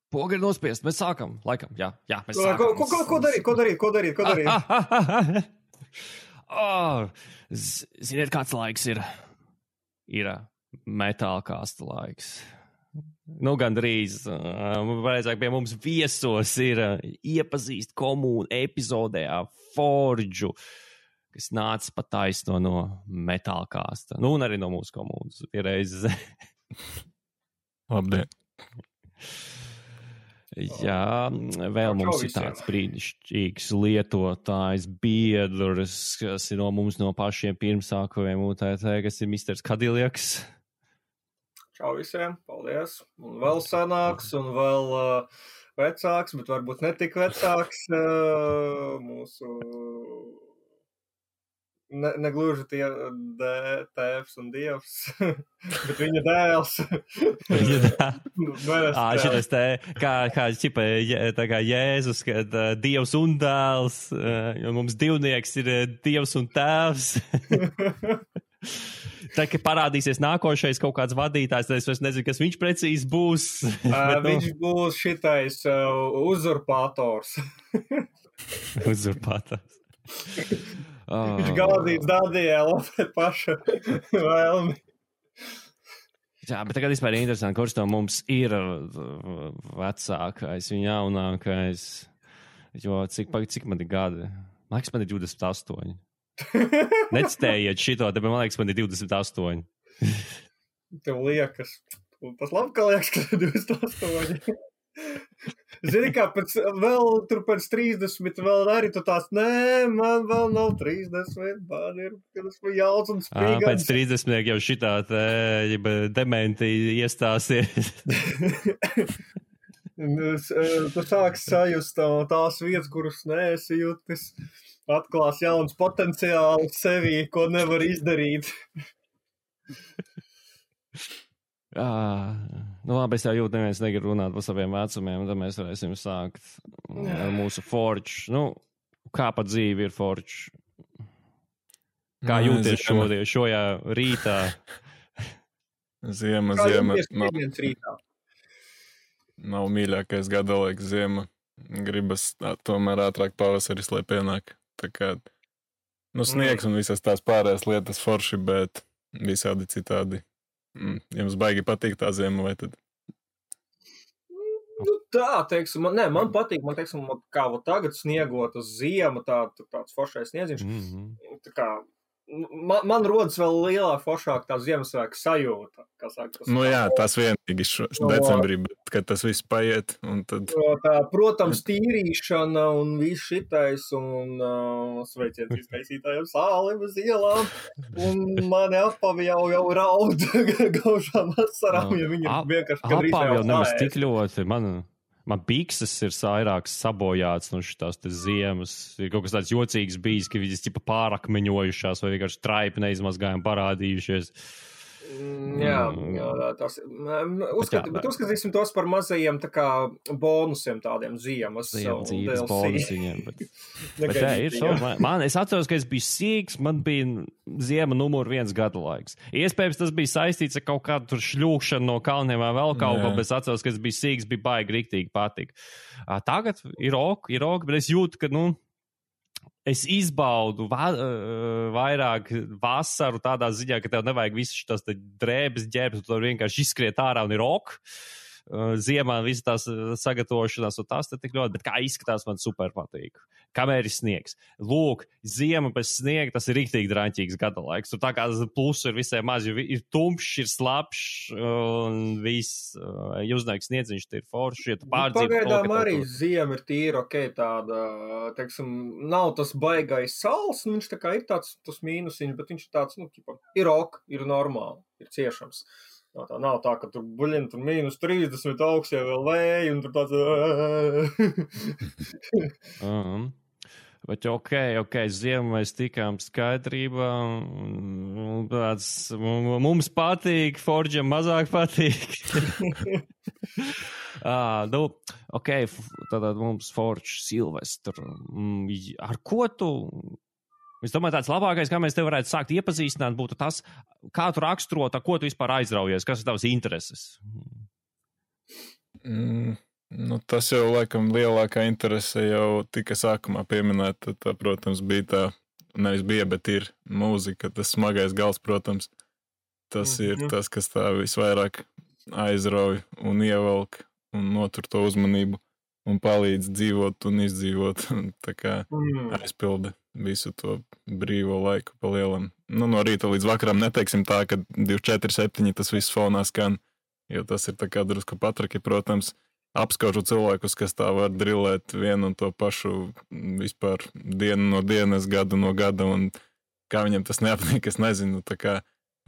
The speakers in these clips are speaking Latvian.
Poga ir nospiest, mēs sākam, laikam, jā, mēs sākam. Ko darīt? Ziniet, kāds laiks ir metālkāsta laiks. Nu, gandrīz, vajadzāk pie mums viesos ir iepazīst komūnu epizodē Forģu, kas nāca pa taisno no metālkāsta. Nu, un arī no mūsu komūnas pierreiz. Labdien. Jā, vēl mums ir tāds brīnišķīgs lietotājs biedrs, kas ir no mums no pašiem pirmsākajiem UTT, kas ir Misters Kadiljaks. Čau visiem, paldies. Un vēl sanāks, un vēl vecāks, bet varbūt netik vecāks mūsu... Negluži tie tēvs un dievs, bet viņa dēls. Šitas te, kā čipa, tā kā Jēzus, kad dievs un dēls, jo mums divnieks ir dievs un tēvs. Tā, ka parādīsies nākošais kaut kāds vadītājs, tad es vairs nezinu, kas viņš precīzi būs. Viņš būs šitais uzurpators. Uzurpators. Viņš gādīs Dadielu pēc paša vēlmi. Jā, bet tagad vispār ir interesanti, kurš no mums ir vecākais un jaunākais. Jo cik man ir gadi? Man liekas, man ir 28. Necitējiet šito, tāpēc man liekas, man ir 28. Tev liekas. Tas labi, ka liekas, ka ir 28. Zini, kā pēc 30 vēl arī tu tās, nē, man vēl nav 30, man ir, kad esmu jauns un spīgans. Pēc 30 jau šitā dementi iestāsies. Tu sāks sajust tās vietas, kuras neesi jutis, atklās jauns potenciāls sevī, ko nevar izdarīt. Nu labi, es jau jūtu, neviens negrib runāt par saviem vecumiem, tad mēs varēsim sākt ar mūsu Forģu. Nu, kā pa dzīvi ir Forģu? Kā jūties šojā rītā? Ziema. Nav mīļākais gada laiks ziema. Gribas tomēr ātrāk pavasaris, lai pienāk. Tā kā, sniegs un visas tās pārējās lietas forši, bet visādi citādi. Jums baigi patīk tā ziema, vai tad? Tā, teiksim, man patīk, teiksim, kā tagad sniegot uz ziemu, tāds foršais sniedziņš. Tā kā, man rodas vēl lielāk foršāk tā Ziemassvētku sajūta. Tas vienīgi decembrī, bet kad tas viss paiet, un tad... Protams, tīrīšana un viss šitais, un sveiciens izkaisītājiem sālim uz ielām, un mani apavi jau raud gaužām asarām, ja viņam vienkārši kadrīz apavi jau nemaz tik ļoti, man bikses ir vairāk sabojāts no šitās te ziemas. Ir kaut kas tāds jocīgs bijis, ka viņas ķipa pārakmeņojušās vai vienkārši traipi neizmazgājumi parādījušies. Jā, tas... Uzskatīsim tos par mazajiem tā kā bonusiem tādiem ziemas. Dzīves bonusiņiem. Bet jā, ir šo. Es atceros, ka es biju sīgs, man bija ziema numur 1 gada laiks. Iespējams, tas bija saistīts ar kaut kādu tur šļūkšanu no kalniem vai vēl kaut ko, bet es atceros, ka es biju sīgs, bija baigi riktīgi patīk. Tagad ir ok, bet es jūtu, ka, es izbaudu vairāk vasaru tādā ziņā, ka tev nevajag visu šitās drēbes ģērbes, tu vienkārši izskriet ārā un ir ok. Ziemā visas tās sagatavošanās un tās te tik ļoti, bet kā izskatās man super patīk. Kamēr ir sniegs. Lūk, ziema bez sniega, tas ir riktīgi draņķīgs gada laiks. Tur tā kā plusu ir visai maz, jo ir tumšs, ir slapšs un viss. Jūsnēks sniedziņš te ir forši. Ja pagaidām arī ziema ir tīra, tāda, teiksim, nav tas baigais sals, un viņš tā kā ir tāds mīnusiņš, bet viņš ir tāds, ir ok, ir normāli, ir ciešams. Tā nav tā, ka tur buļina tur -30 augstie vēl vēji un tur tāds... Bet ok, ziemu mēs tikām skaidrībā. Mums patīk, Forģam mazāk patīk. Tātad mums Forģ Silvestru. Ar ko tu... Es domāju, tāds labākais, kā mēs te varētu sākt iepazīstināt, būtu tas, kā tu raksturot, ko tu vispār aizraujies, kas ir tavas intereses? Nu, tas jau, laikam, lielākā interese jau tika sākumā pieminēta. Tā, protams, bija tā, nevis bija, bet ir mūzika, tas smagais gals, protams. Tas ir tas, kas tā visvairāk aizrauj un ievelk un notur to uzmanību un palīdz dzīvot un izdzīvot. Tā kā aizpilda visu to brīvo laiku pa lielam. Nu, no rīta līdz vakaram neteiksim tā, ka 24/7 tas viss fonā skan, jo tas ir tā kā drusku patraki, protams, apskaužu cilvēkus, kas tā var drillēt vienu un to pašu vispār dienu no dienas, gadu no gada, un kā viņam tas neapnīk, es nezinu. Tā kā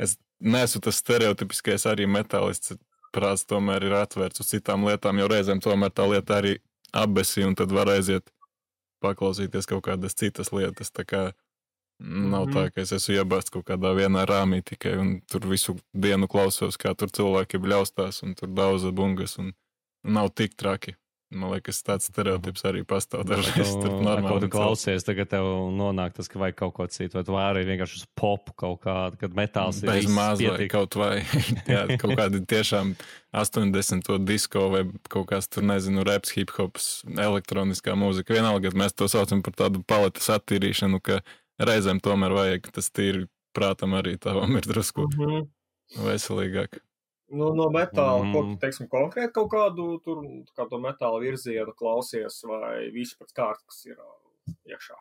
es neesmu tas stereotipiskais arī metālists, prāts tomēr ir atvērts uz citām lietām, jo reizēm tomēr tā lieta arī apbesī, un tad var aiziet paklausīties kaut kādas citas lietas. Tā kā nav tā, ka es esmu iebāsts kaut kādā vienā rāmī tikai, un tur visu dienu klausos, kā tur cilvēki bļaustās, un tur daudz bungas, un nav tik traki. Man liekas, tāds stereotips arī pastāv dažreiz. Tur normāli. Ko tu klausies, tagad tev nonāk tas, ka vajag kaut ko citu, vai tu vari vienkārši uz popu kaut kādu, kad metāls ir bez maz vai kaut vai. Jā, kaut kādi tiešām 80. disko vai kaut kāds tur, nezinu, raps, hip-hops, elektroniskā mūzika. Vienalga, mēs to saucam par tādu paletes attīrīšanu, ka reizēm tomēr vajag, tas tīri prātam arī tavam ir drusku veselīgāk. Nu, no metāla, ko tu, teiksim, konkrēti kaut kādu tur, kā to metāla virzienu klausies, vai visu pēc kārtas, kas ir iekšā?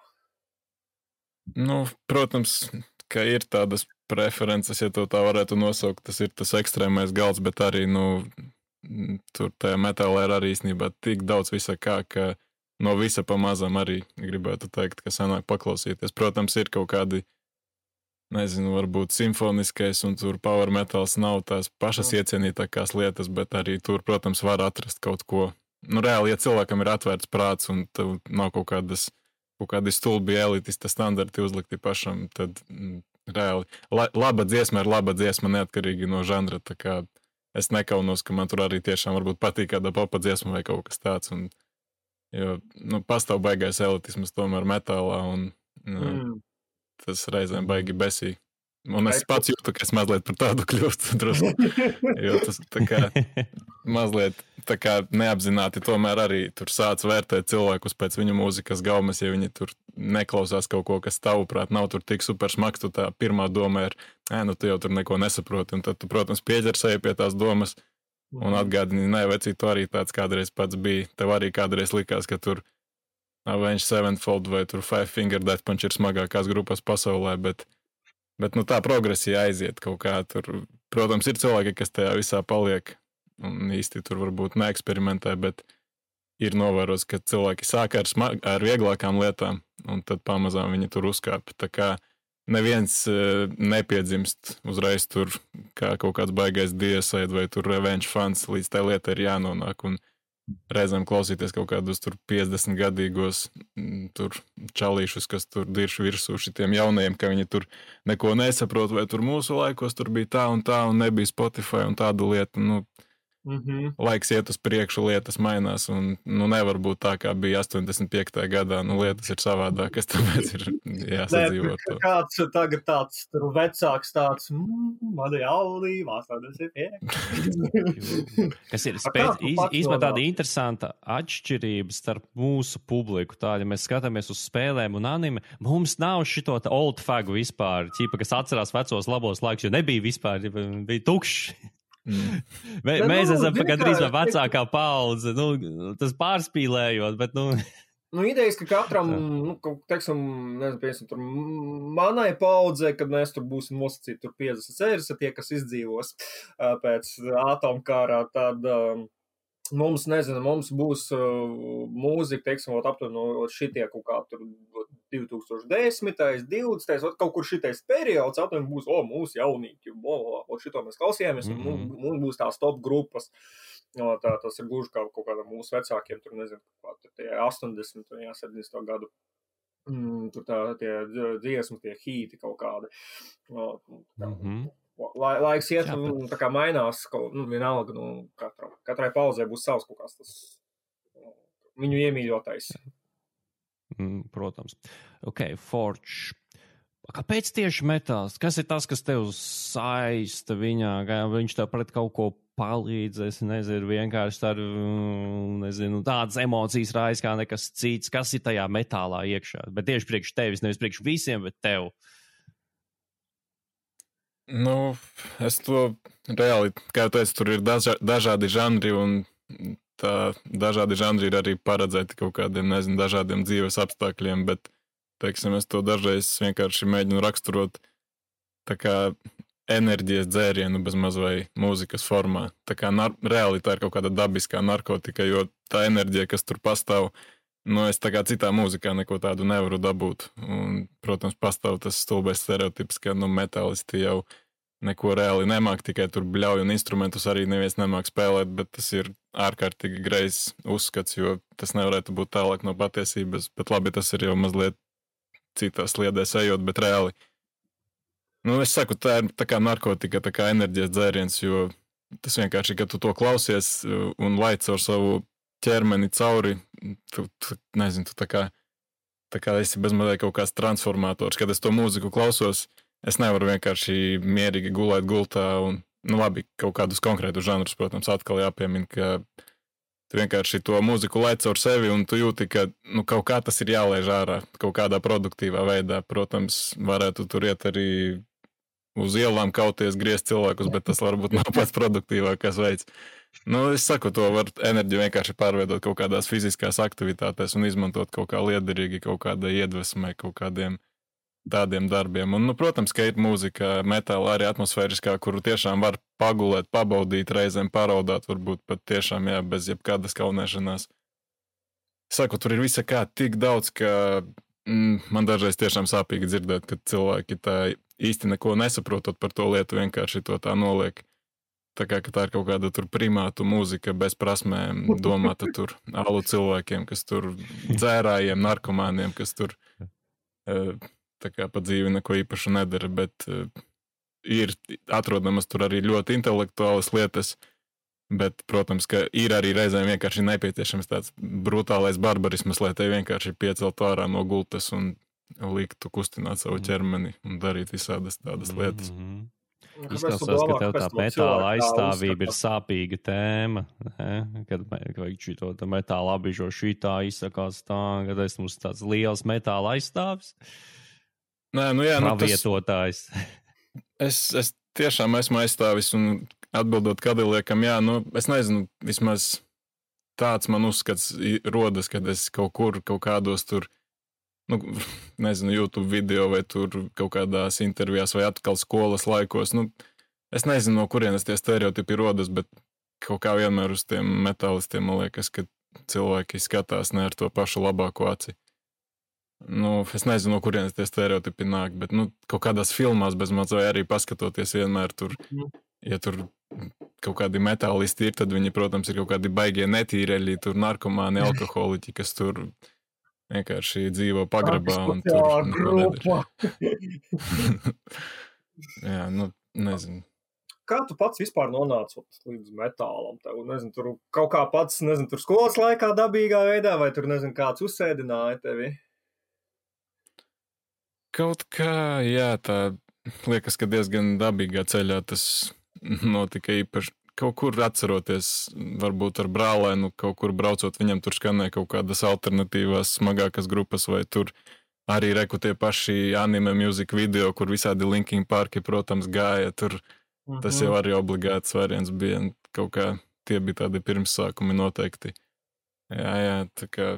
Nu, protams, ka ir tādas preferences, ja to tā varētu nosaukt, tas ir tas ekstrēmais gals, bet arī, nu, tur tajā metālā ir arī īstenībā tik daudz visa kā, ka no visa pamazām arī gribētu teikt, ka sanāk paklausīties. Protams, ir kaut kādi, nezinu, varbūt simfoniskais un tur power metals nav tās pašas iecienītākās lietas, bet arī tur, protams, var atrast kaut ko. Nu, reāli, ja cilvēkam ir atvērts prāts un tev nav kaut kādi stulbi elitista standarti uzlikti pašam, tad reāli laba dziesma ir laba dziesma neatkarīgi no žanra, tā kā es nekaunos, ka man tur arī tiešām varbūt patīk kāda popa dziesma vai kaut kas tāds, un, jo, nu, pastāv baigais elitismas tomēr metālā, un tas reizēm baigi besī. Un es pats jūtu, ka es mazliet par tādu kļūstu drusku, jo tas tā kā mazliet tā kā neapzināti tomēr arī tur sāc vērtēt cilvēkus pēc viņu mūzikas gaumas, ja viņi tur neklausās kaut ko, kas tavuprāt nav tur tik super smags, tu tā pirmā doma ir, nu tu jau tur neko nesaproti, un tad tu, protams, pieķersēji pie tās domas un atgādini, vecī, tu arī tāds kādreiz pats bija, tev arī kādreiz likās, ka tur Avenged Sevenfold vai tur Five Finger Death Punch ir smagākās grupas pasaulē, bet nu, tā progresija aiziet kaut kā tur. Protams, ir cilvēki, kas tajā visā paliek un īsti tur varbūt neeksperimentē, bet ir novērots, ka cilvēki sāk ar vieglākām lietām un tad pamazām viņi tur uzkāpj. Tā kā neviens nepiedzimst uzreiz tur kā kaut kāds baigais Deicide vai tur Revenge fans, līdz tai lietai ir jānonāk, un reizēm klausīties kaut kādus tur 50 gadīgos tur čalīšus, kas tur dirš virsū šitiem jaunajiem, ka viņi tur neko nesaprot, vai tur mūsu laikos tur bija tā un nebija Spotify un tādu lietu, nu, laiks iet uz priekšu, lietas mainās, un, nu, nevar būt tā, kā bija 85. gadā, nu, lietas ir savādākas, tāpēc ir jāsadzīvot to. Kāds tagad tāds tur vecāks tāds, mani jaunī, 85. Kas ir īstenībā tāda interesanta atšķirība starp mūsu publiku, tā, ja mēs skatāmies uz spēlēm un anime, mums nav šito old fagu vispār, ķipa, kas atcerās vecos labos laikus, jo nebija vispār, bija tukšs. Mēs esam gandrīz vecākā paudze, nu, tas pārspīlējot, bet, nu... Nu, idejas, ka katram, nu, teiksim, nezinu, piemēram, tur manai paudzē, kad mēs tur būsim nosacīti tur 50, tie, kas izdzīvos pēc atomkārā, tad mums, nezinu, mums būs mūzika, teiksim, aptuveni šitie kaut kā tur 2010, 20, kaut kur šitais periods, aptuveni būs, mūsu jaunīgi, šito mēs klausījāmies, un mums būs tās top grupas. Tas ir gluži kā kaut kādam mūsu vecākiem, tur nezinu, tie 80, 70 gadu, tur tie dziesmu, tie hīti kaut kādi. Laiks iet, tā kā mainās, vienalga, katrai pauzē būs savs kaut kāds tas viņu iemīļotais. Protams. Ok, Forge. Kāpēc tieši metāls? Kas ir tas, kas tev saista viņā? Kā viņš tev pret kaut ko palīdz? Es nezinu, vienkārši tā, nezinu, tādas emocijas rājas kā nekas cits. Kas ir tajā metālā iekšā? Bet tieši priekš tevis, nevis priekš visiem, bet tev. Nu, es to reāli, kā jau teicu, tur ir dažādi žanri, un tā dažādi žanri ir arī paredzēti kaut kādiem, nezinu, dažādiem dzīves apstākļiem, bet, teiksim, es to dažreiz vienkārši mēģinu raksturot tā kā enerģijas dzērienu bez maz vai mūzikas formā. Tā kā reāli tā ir kaut kāda dabiskā narkotika, jo tā enerģija, kas tur pastāv, nu, es tā kā citā mūzikā neko tādu nevaru dabūt. Un, protams, pastāv tas stulbais stereotips, ka, nu, metālisti jau neko reāli nemāk, tikai tur bļauj un instrumentus arī neviens nemāk spēlēt, bet tas ir ārkārtīgi greizs uzskats, jo tas nevarētu būt tālāk no patiesības, bet labi, tas ir jau mazliet citās sliedēs ejot, bet reāli. Nu, es saku, tā ir tā kā narkotika, tā kā enerģijas dzēriens, jo tas vienkārši, ka tu to klausies un laic ar savu ķermeni cauri, tu nezinu, tu tā kā esi bezmazliet kaut kāds transformators. Kad es to mūziku klausos, es nevaru vienkārši mierīgi gulēt gultā un, nu labi, kaut kādus konkrētus žanrus, protams, atkal jāpiemina, ka tu vienkārši to mūziku laic caur sevi un tu jūti, ka, nu, kaut kā tas ir jālaiž ārā, kaut kādā produktīvā veidā. Protams, varētu tur iet arī uz ielām kauties, griezt cilvēkus, bet tas varbūt nav pats produktīvākais veids. Nu, es saku, to var enerģiju vienkārši pārveidot kaut kādās fiziskās aktivitātēs un izmantot kaut kā liederīgi, kaut kādai iedvesmai, kaut kādiem tādiem darbiem. Un, nu, protams, ka ir mūzika, metāla arī atmosfēriskā, kuru tiešām var pagulēt, pabaudīt, reizēm paraudāt, varbūt pat tiešām, jā, bez jebkādas kaunēšanās. Saku, tur ir visa kā tik daudz, ka man dažreiz tiešām sāpīgi dzirdēt, ka cilvēki tā īsti neko nesaprotot par to lietu, vienkārši to tā noliek. Tā kā tā ir kaut kāda tur primātu mūzika bez prasmēm, domāta tur alu cilvēkiem, kas tur dzērājiem, narkomāniem, kas tur tā kā pa dzīvi neko īpašu nedara, bet ir atrodamas tur arī ļoti intelektuālas lietas, bet, protams, ka ir arī reizēm vienkārši nepieciešams tāds brutālais barbarismas, lai te vienkārši piecelt ārā no gultas un liktu kustināt savu ķermeni un darīt visādas tādas lietas. Izklausās, ka tev tā metāla aizstāvība ir sāpīga tēma, ne? Kad vajag šito metāla abižo šitā izsakās tā, kad es mums tāds liels metāla aizstāvis. Nē, nu jā, pravietotājs. Es tiešām esmu aizstāvis un atbildot Kadiliekam, jā, nu es nezinu, vismaz tāds man uzskats rodas, kad es kaut kur, kaut kādos tur, nu, nezinu, YouTube video vai tur kaut kādās intervijās vai atkal skolas laikos, nu, es nezinu, no kurienes tie stereotipi rodas, bet kaut kā vienmēr uz tiem metālistiem, man liekas, ka cilvēki skatās ne ar to pašu labāko aci. Nu, es nezinu, no kurienes tie stereotipi nāk, bet, nu, kaut kādās filmās bez maz vai arī paskatoties vienmēr tur, ja tur kaut kādi metālisti ir, tad viņi, protams, ir kaut kādi baigie netīreļi, tur narkomāni, alkoholiķi, kas tur vienkārši dzīvo pagrabā un tur neko nedara. Jā, nu, nezinu. Kā tu pats vispār nonāci līdz metālam? Tev, nezinu, tur kaut kā pats, nezinu, tur skolas laikā dabīgā veidā, vai tur, nezinu, kāds uzsēdināja tevi? Kaut kā, jā, tā liekas, ka diezgan dabīgā ceļā tas notika īpaši. Kaut kur atceroties, varbūt ar brālēnu, kaut kur braucot, viņam tur skanēja kaut kādas alternatīvās, smagākas grupas, vai tur arī reku tie paši anime music video, kur visādi Linkin Parki, protams, gāja. Tur tas jau arī obligāts variants bija. Kaut kā tie bija tādi pirmsākumi noteikti. Jā, tā kā.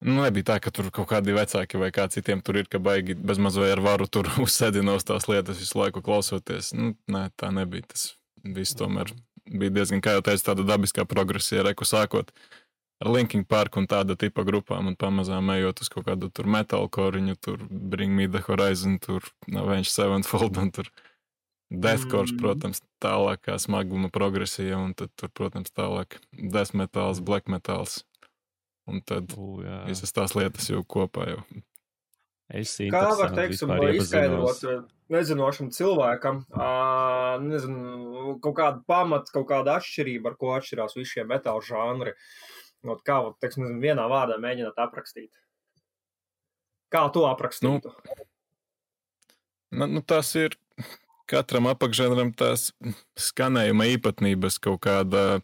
Nu, nebija tā, ka tur kaut kādi vecāki vai kā citiem tur ir, ka baigi bezmaz vai ar varu tur uzsēdina uz tās lietas visu laiku klausoties. Nu, nē, tā nebija. Tas viss tomēr bija diezgan, kā jau teicu, tāda dabiskā progresija, reku sākot ar Linkin Park un tāda tipa grupām un pamazām ejot uz kaut kādu tur metalkoriņu, tur Bring Me The Horizon, tur Avenged Sevenfold un tur deathcore, protams, tālākā smaguma progresija un tad tur, protams, tālāk death metals, black metals. Un tad visas tās lietas jau kopā jau. Kā var, teiksim, izskaidrot nezinošam cilvēkam, nezinu, kaut kādu pamatu, kaut kādu atšķirību, ar ko atšķirās visi šie metāla žanri? Kā, teiksim, nezinu, vienā vārdā mēģināt aprakstīt? Kā tu aprakstītu? Nu, tas ir katram apakšžanram tās skanējuma īpatnības, kaut kāda,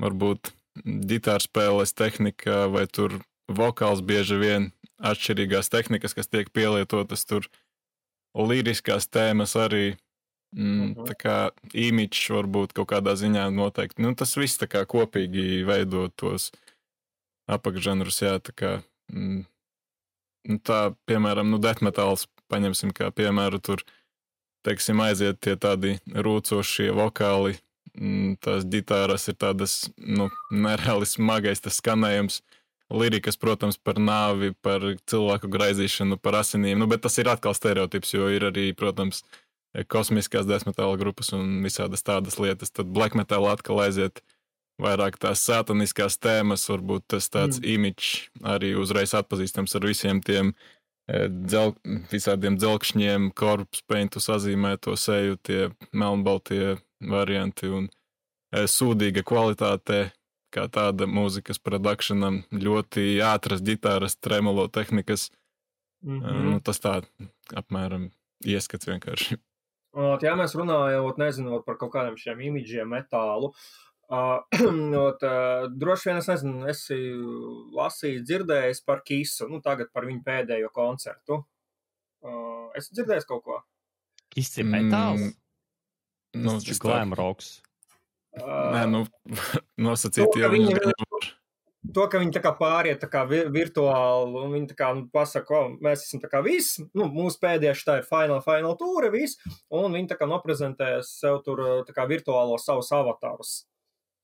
varbūt, ģitārspēles tehnika, vai tur vokāls bieži vien atšķirīgās tehnikas, kas tiek pielietotas tur, liriskās tēmas arī, tā kā imidžs varbūt kaut kādā ziņā noteikti. Nu, tas viss tā kā kopīgi veido tos apakšžanrus, jā, tā kā, tā, piemēram, death metals, paņemsim kā piemēru, tur, teiksim, aiziet tie tādi rūcošie vokāli, tās ģitāras ir tādas, nereāli smagais tas skanējums, lirikas, protams, par nāvi, par cilvēku graizīšanu, par asinīm, bet tas ir atkal stereotips, jo ir arī, protams, kosmiskās death metal grupas un visādas tādas lietas, tad black metal atkal aiziet vairāk tās sataniskās tēmas, varbūt tas tāds imidžs arī uzreiz atpazīstams ar visiem tiem visādiem dzelkšņiem, corpse paintu sazīmēto seju, tie melnbaltie varianti un sūdīga kvalitāte, kā tāda mūzikas produkšanam, ļoti ātras ģitāras, tremolo tehnikas. Tas tā apmēram ieskats vienkārši. Ja mēs runājam, nezinot par kaut kādiem šiem imidžiem metālu, droši vien es nezinu, esi lasījis, dzirdējis par Kissu, tagad par viņu pēdējo koncertu. Esi dzirdējis kaut ko? Kiss ir metāls? Tas ir glam rocks. Nē, nosacīt, ja viņi nevar. To, ka viņi tā kā pāriet tā kā virtuāli, un viņi tā kā pasaka, mēs esam tā kā viss, mūsu pēdējais tā ir final tūre, viss, un viņi tā kā noprezentēs sev tur tā kā virtuālo savus avatarus,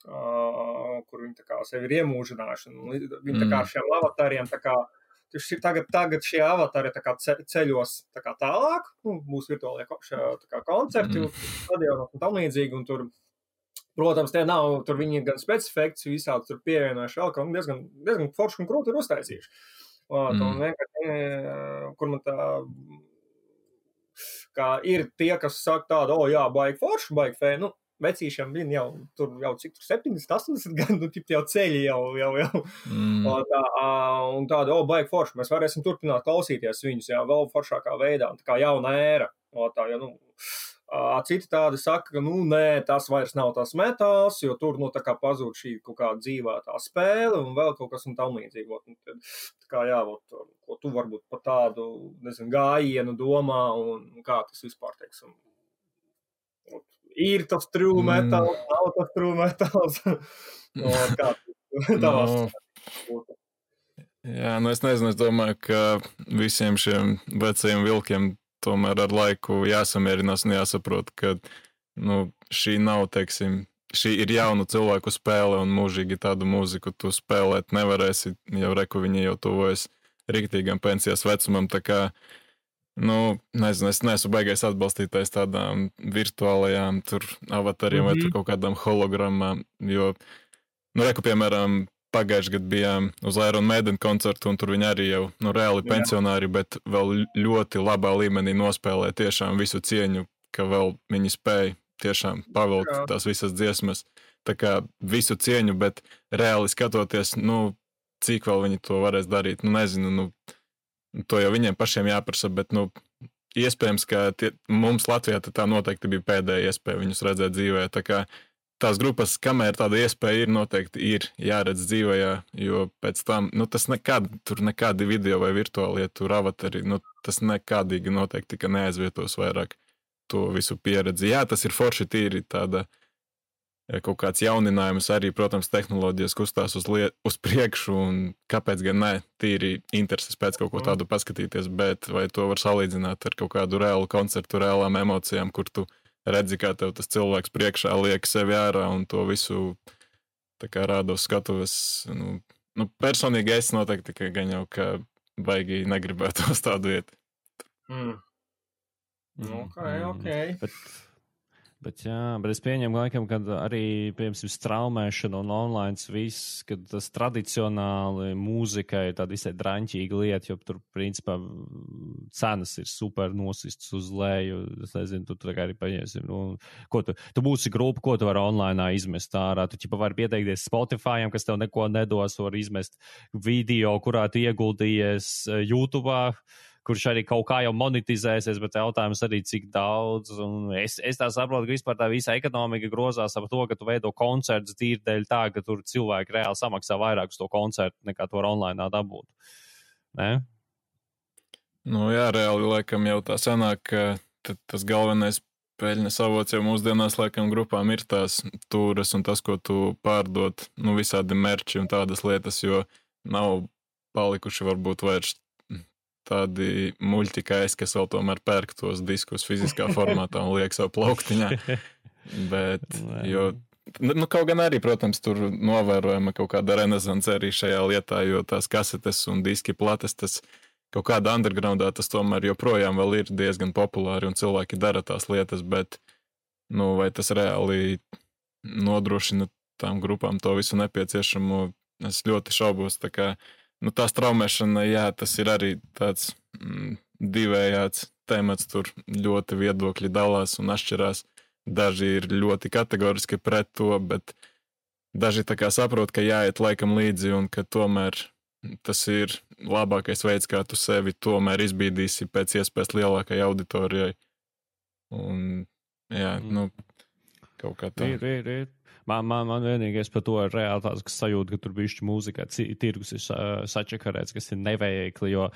kur viņi tā kā sevi ir iemūžinājuši, un viņi tā kā šiem avatariem tā kā, tagad šie avatari tā kā ceļos tā kā tālāk, būs virtuālie tā kā koncerti, stadionos un tam līdzīgi, un tur, protams, tie nav, tur viņi gan specifekts, visādi tur pievienojuši vēl, ka diezgan forši un krūti ir uztaisījuši. Un vienkārši, kur man tā, kā ir tie, kas saka tādu, jā, baigi forši, baigi fē, vecīšiem viņi jau cik tur 70, 80 gadu, jau ceļi jau. Un tāda, baigi forši, mēs varēsim turpināt klausīties viņus, jā, vēl foršākā veidā, un tā kā jauna ēra. Citi tādi saka, ka, nē, tas vairs nav tas metāls, jo tur, tā kā pazūd šī kaut kāda dzīvā tā spēle un vēl kaut kas un tam līdzīgi. Tā kā, jā, ko tu varbūt par tādu, nezinu, gājienu domā un kā tas vispār, teiksim, ir tas true metāls, nav tas true metāls. Kā tavās būtu? Jā, es nezinu, es domāju, ka visiem šiem vecajiem vilkiem tomēr ar laiku jāsamierinās un jāsaprot, ka šī nav, teiksim, šī ir jaunu cilvēku spēle un mūžīgi tādu mūziku tu spēlēt nevarēsi, jau reku viņi jau tuvojas riktīgam pensijas vecumam, tā kā, nezinu, es neesmu baigais atbalstītais tādām virtuālajām tur avatariem vai tur kaut kādām hologrammām, jo, reku, piemēram, pagājuši gadu bijām uz Iron Maiden koncertu, un tur viņi arī jau reāli pensionāri, bet vēl ļoti labā līmenī nospēlē tiešām visu cieņu, ka vēl viņi spēja tiešām pavilkt tās visas dziesmas. Tā kā visu cieņu, bet reāli skatoties, cik vēl viņi to varēs darīt, nezinu, to jau viņiem pašiem jāprasa, bet, iespējams, ka mums Latvijā tā noteikti bija pēdējā iespēja viņus redzēt dzīvē, tā kā tās grupas, kamēr tāda iespēja ir, noteikti ir jāredz dzīvajā, jo pēc tam, tas tur nekādi video vai virtuālie tur avatari, tas nekādīgi noteikti, ka neaizvietos vairāk to visu pieredzi. Jā, tas ir forši tīri tāda kaut kāds jauninājums arī, protams, tehnoloģijas kustās uz priekšu, un kāpēc gan ne, tīri intereses pēc kaut ko tādu paskatīties, bet vai to var salīdzināt ar kaut kādu reālu koncertu, reālām emocijām, kur tu redzi, kā tev tas cilvēks priekšā liek sevi ārā un to visu tā kā rāda uz skatuves. Personīgi es noteikti tikai gan jau, ka baigi negribētu uz tādu iet. Ok. Bet es pieņemu laikam, kad arī, piemēram, straumēšana un online viss, kad tas tradicionāli mūzika ir tāda visai draņķīga lieta, jo tur, principā, cenas ir super nosistas uz leju. Es nezinu, tu tā kā arī paņēsim. Tu būsi grupa, ko tu vari online izmest ārā. Tu vari pieteikties Spotify'am, kas tev neko nedos, var izmest video, kurā tu ieguldījies YouTube'ā kurš arī kaut kā jau monetizēsies, bet jautājums arī cik daudz. Un es tā saprotu, ka vispār tā visa ekonomika grozās ap to, ka tu veido koncertus tīri dēļ tā, ka tur cilvēki reāli samaksā vairāk uz to koncertu, nekā to var online dabūt. Ne? Nu jā, reāli laikam jau tā sanāk, ka tas galvenais peļņas avots jau mūsdienās laikam grupām ir tās tūras un tas, ko tu pārdod, nu visādi merči un tādas lietas, jo nav palikuši varbūt vairs tādi muļķi kā es, kas vēl tomēr pērk tos diskus fiziskā formātā un liek savu plauktiņā. Bet, jo, nu kaut gan arī, protams, tur novērojama kaut kāda renesance arī šajā lietā, jo tās kasetes un diski plates, tas kaut kādā undergroundā tas tomēr joprojām vēl ir diezgan populāri un cilvēki dara tās lietas, bet, nu, vai tas reāli nodrošina tām grupām to visu nepieciešamo, es ļoti šaubos, tā kā, nu, tā straumēšana, jā, tas ir arī tāds divējāds temats, tur ļoti viedokļi dalās un atšķirās, daži ir ļoti kategoriski pret to, bet daži tā kā saprot, ka jāiet laikam līdzi un ka tomēr tas ir labākais veids, kā tu sevi tomēr izbīdīsi pēc iespējas lielākai auditorijai. Un, jā, nu, kaut kā tā. Ir. Man vienīgais par to ir reāli tāds, kas sajūta, ka tur bišķi mūzikā tirgus ir sačakarēts, kas ir neveikli, jo,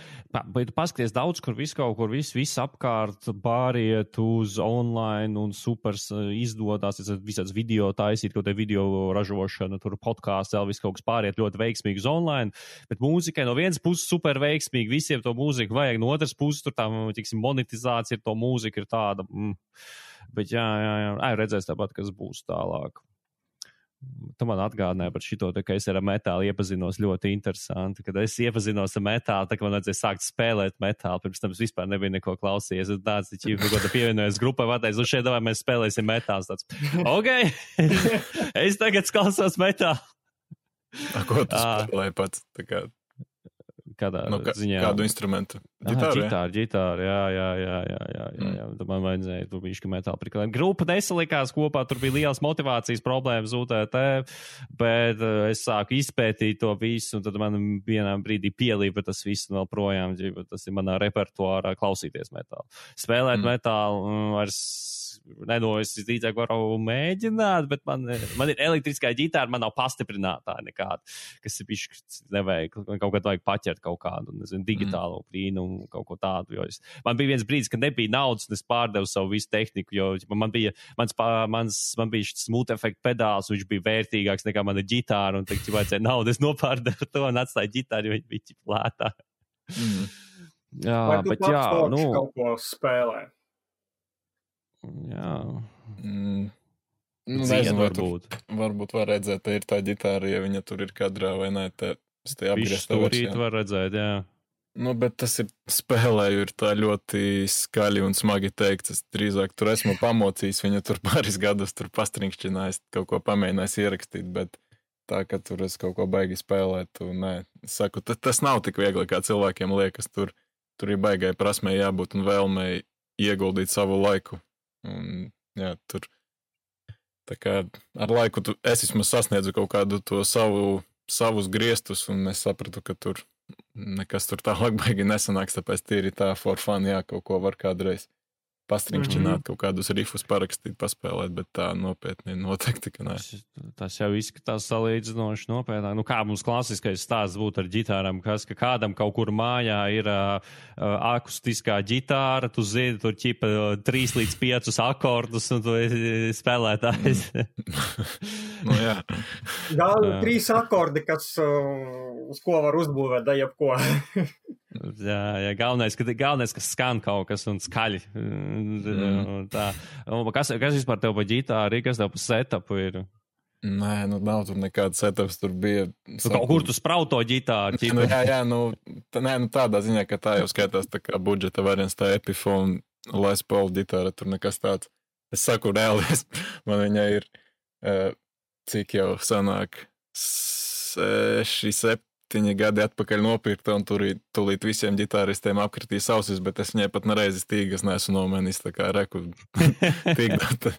bet paskaties daudz, kur viss apkārt pāriet uz online un supers izdodās, visāds video taisīt, kaut te video ražošana, tur podkāsts, vēl viss kaut kas pāriet ļoti veiksmīgi uz online, bet mūzikai no vienas puses super veiksmīgi, visiem to mūziku vajag, no otras puses tur tā, tiksim, monetizācija ir to mūzika ir tāda, bet jā, redzēs tāpat, kas būs tālāk. Tu man atgādināji par šito, ka es ar metālu iepazinos ļoti interesanti. Kad es iepazinos ar metālu, tā kā man vajadzēja sākt spēlēt metālu, pirms tam es vispār nebiju neko klausījies. Es tāds, taču, ko tu pievienojies grupai, pateicu, šeit davai mēs spēlēsim metāls. Tāds, ok, es tagad klausos metālu. Ko tu spēlēji pats? Tā kā... Kādā ziņā? Kādu instrumentu? Ģitāru, jā. Tad man vajadzēja, tur bija metāla priklēt. Grupa nesalikās kopā, tur bija liels motivācijas problēmas UTT, bet es sāku izpētīt to visu, un tad man vienā brīdī pielīpa tas viss vēl projām, tas ir manā repertuārā klausīties metālu. Spēlēt metālu vairs es drīzāk varu mēģināt, bet man ir elektriskā ģitāra, man nav pastiprinātāja nekāda, kas ir bišķi neveikli. Man kaut kad vajag paķert kaut kādu, nezinu, digitālo brīnumu, kaut ko tādu, jo man bija viens brīdis, kad nebija naudas, un es pārdevu savu visu tehniku, jo man bija šis smooth effect pedāls, viņš bija vērtīgāks nekā mana ģitāra, un tagad, ja vajadzēja naudu, es nopārdevu to un atstāju ģitāru, jo viņi bija plētā. Jā, bet jā, nu... kaut ko spēlē? Jā. Nezinu, varbūt var redzēt, ka ir tā ģitāra, ja viņa tur ir kadrā vai nē, tas te apgrieztā versijā. Stūrīt var redzēt, jā. Nu, bet tas ir spēlēju, ir tā ļoti skaļi un smagi teikts. Es drīzāk tur esmu pamocījis, viņa tur pāris gadus tur pastrinkšķinājis, kaut ko pamēģinājis ierakstīt, bet tā, ka tur es kaut ko baigi spēlēt, un nē, es saku, tas nav tik viegli, kā cilvēkiem liekas, tur ir baigai prasmei jābūt un vēlmei ieguldīt savu laiku. Un, jā, tur tā kā ar laiku es vismaz sasniedzu kaut kādu to savus griestus, un es sapratu, ka tur nekas tur tālāk baigi nesanāks, tāpēc tīri tā for fun, jā, kaut ko var kādreiz pastrinkšķināt, kaut kādus rifus parakstīt, paspēlēt, bet tā nopietni noteikti, ka nē. Tas jau izskatās salīdzinoši nopietnāk. Nu, kā mums klasiskais stāsts būtu ar ģitārām, ka kādam kaut kur mājā ir akustiskā ģitāra, tu zini, tur ķipa 3 līdz 5 akordus, un tu esi spēlētājs. Nu, jā. Gal 3 akordi, kas uz ko var uzbūvēt, da jebko. Jā, galvenais, ka skan kaut kas un skaļi. Tā. Kas vispār tev pa ģitāru, kas tev pa setupu ir? Nē, nu nav tur nekāda setups, tur bija... Kaut kur tu sprauto ģitāru? Jā, tādā ziņā, ka tā jau skaitās tā kā budžeta variants, tā Epiphone, Les Paul ģitāra, tur nekas tāds. Es saku reāli, man viņa ir, cik jau sanāk, 6-7 gadi atpakaļ nopirkta, un tūlīt visiem ģitāristiem apkritīs ausis, bet es viņai pat nereizi stīgas neesmu nomainījis, tā kā reku tīgdot.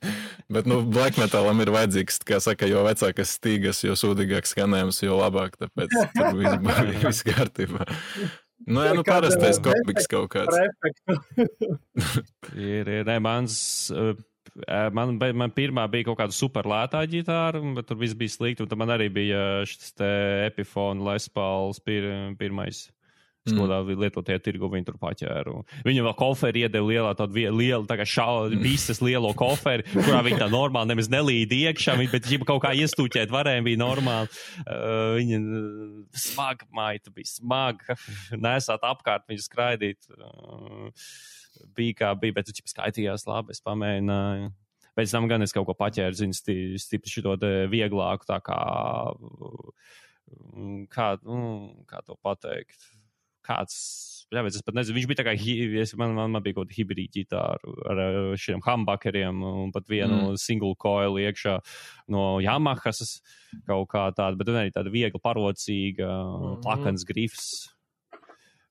Bet, nu, black metalam ir vajadzīgs, kā saka, jo vecākas stīgas, jo sūdīgāks skanējums, jo labāk, tāpēc tur viss kārtībā. Nu, jā, nu parastais kopiks kaut kāds. Man pirmā bija kaut kāda super lētā ģitāra, bet tur viss bija slikti, un tad man arī bija šis te Epiphone Les Pauls pirmais. Skodā lietotie tirgu viņi tur paķēru. Viņam vēl koferi iedeva lielā tādu lielu, tā kā visas lielo koferi, kurā viņi tā normāli nemaz nelīd iekšā, bet ja kaut kā iestūķēt varēja, bija normāli. Viņa smaga maita bija smaga, nesāt apkārt viņu skraidīt. Bija kā bija, bet viņš skaitījās labi, es pamēģināju. Pēc tam gan es kaut ko paķēru, zinu, stipri šito vieglāku, tā kā to pateikt. Kāds, es pat nezinu, viņš bija tā kā, man bija kaut kāda hibrīda ģitāra ar šiem humbuckeriem un pat vienu single coil iekšā no Yamahas kaut kā tāda, bet arī tāda viegla parocīga, plakans grifs,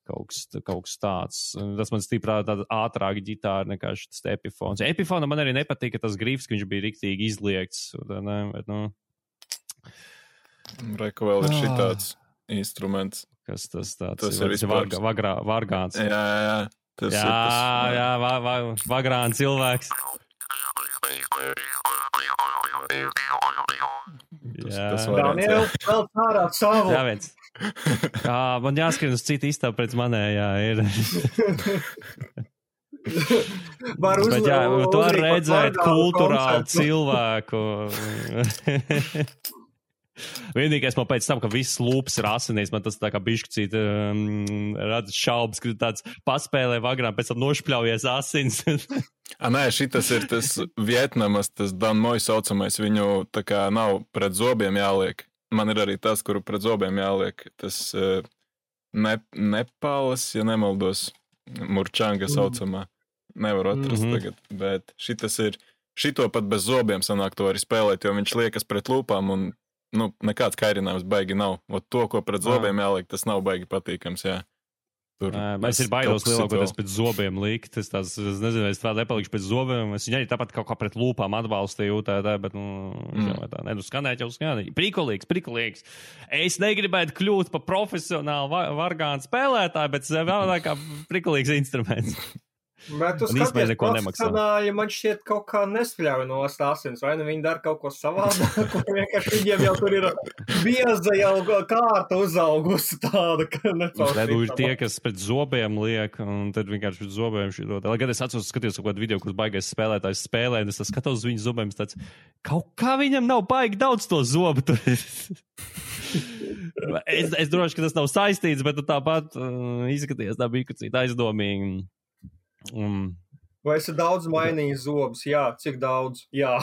kaut kas tāds. Tas man stiprā tāda ātrāka ģitāra nekā šis Epiphone. Epiphone man arī nepatika tas grifs, ka viņš bija riktīgi izliekts. Reku vēl ir šitāds instruments. Kas tas tāds tas ir? Vargāns. Jā. Vagrāns cilvēks. Tas Daniel, vēl pārā savu. Jā, viens. Man jāskrien uz citu istabu pēc manējā ir. Bet jā, tu var redzēt kulturālu cilvēku. Vienīgais man pēc tam, ka viss lūps ir asinīs, man tas tā kā bišķicīt rada šaubas, ka tāds paspēlē vagrām, pēc tam nošpļaujies asins. Nē, šitas ir tas Vietnamas, tas Danmoj saucamais, viņu tā kā nav pret zobiem jāliek. Man ir arī tas, kuru pret zobiem jāliek. Tas Nepālas, ja nemaldos, Murčanga saucamā. Nevar atrast tagad, bet šitas ir, šito pat bez zobiem sanāk to arī spēlēt, jo viņš liekas pret lūpām un nekāds kairinājums baigi nav. Ot to, ko pret zobiem jāliek, tas nav baigi patīkams, jā. Es ir baidos lielākoties pēc zobiem likt. Es nezinu, es tā nepalikšu pēc zobiem. Es viņu arī tāpat kaut kā pret lūpām atbalstīju, bet, skanēt jau skanēt. Prikulīgs. Es negribētu kļūt par profesionālu vargānu spēlētāju, bet vēl kā prikulīgs instruments. Bet tu skaties, profesionāļi man šķiet kaut kā nespļauj no asins, vai ne? Viņi dara kaut ko savādāk, vienkārši viņiem jau tur ir bieza jau kārta uzaugusi tāda, ka ir tie, kas pēc zobiem liek, un tad vienkārši pēc zobiem šī dod. Lai gan es skatījos kaut kādu video, kurus baigais spēlētājs spēlē, un es skatos uz viņu zobiem, tāds, kaut kā viņam nav baigi daudz to zobu. Es droši, ka tas nav saistīts, bet tāpat izskaties tā bija cita aizdomīgi. Vai esi daudz mainījis zobus? Jā. Cik daudz? Jā.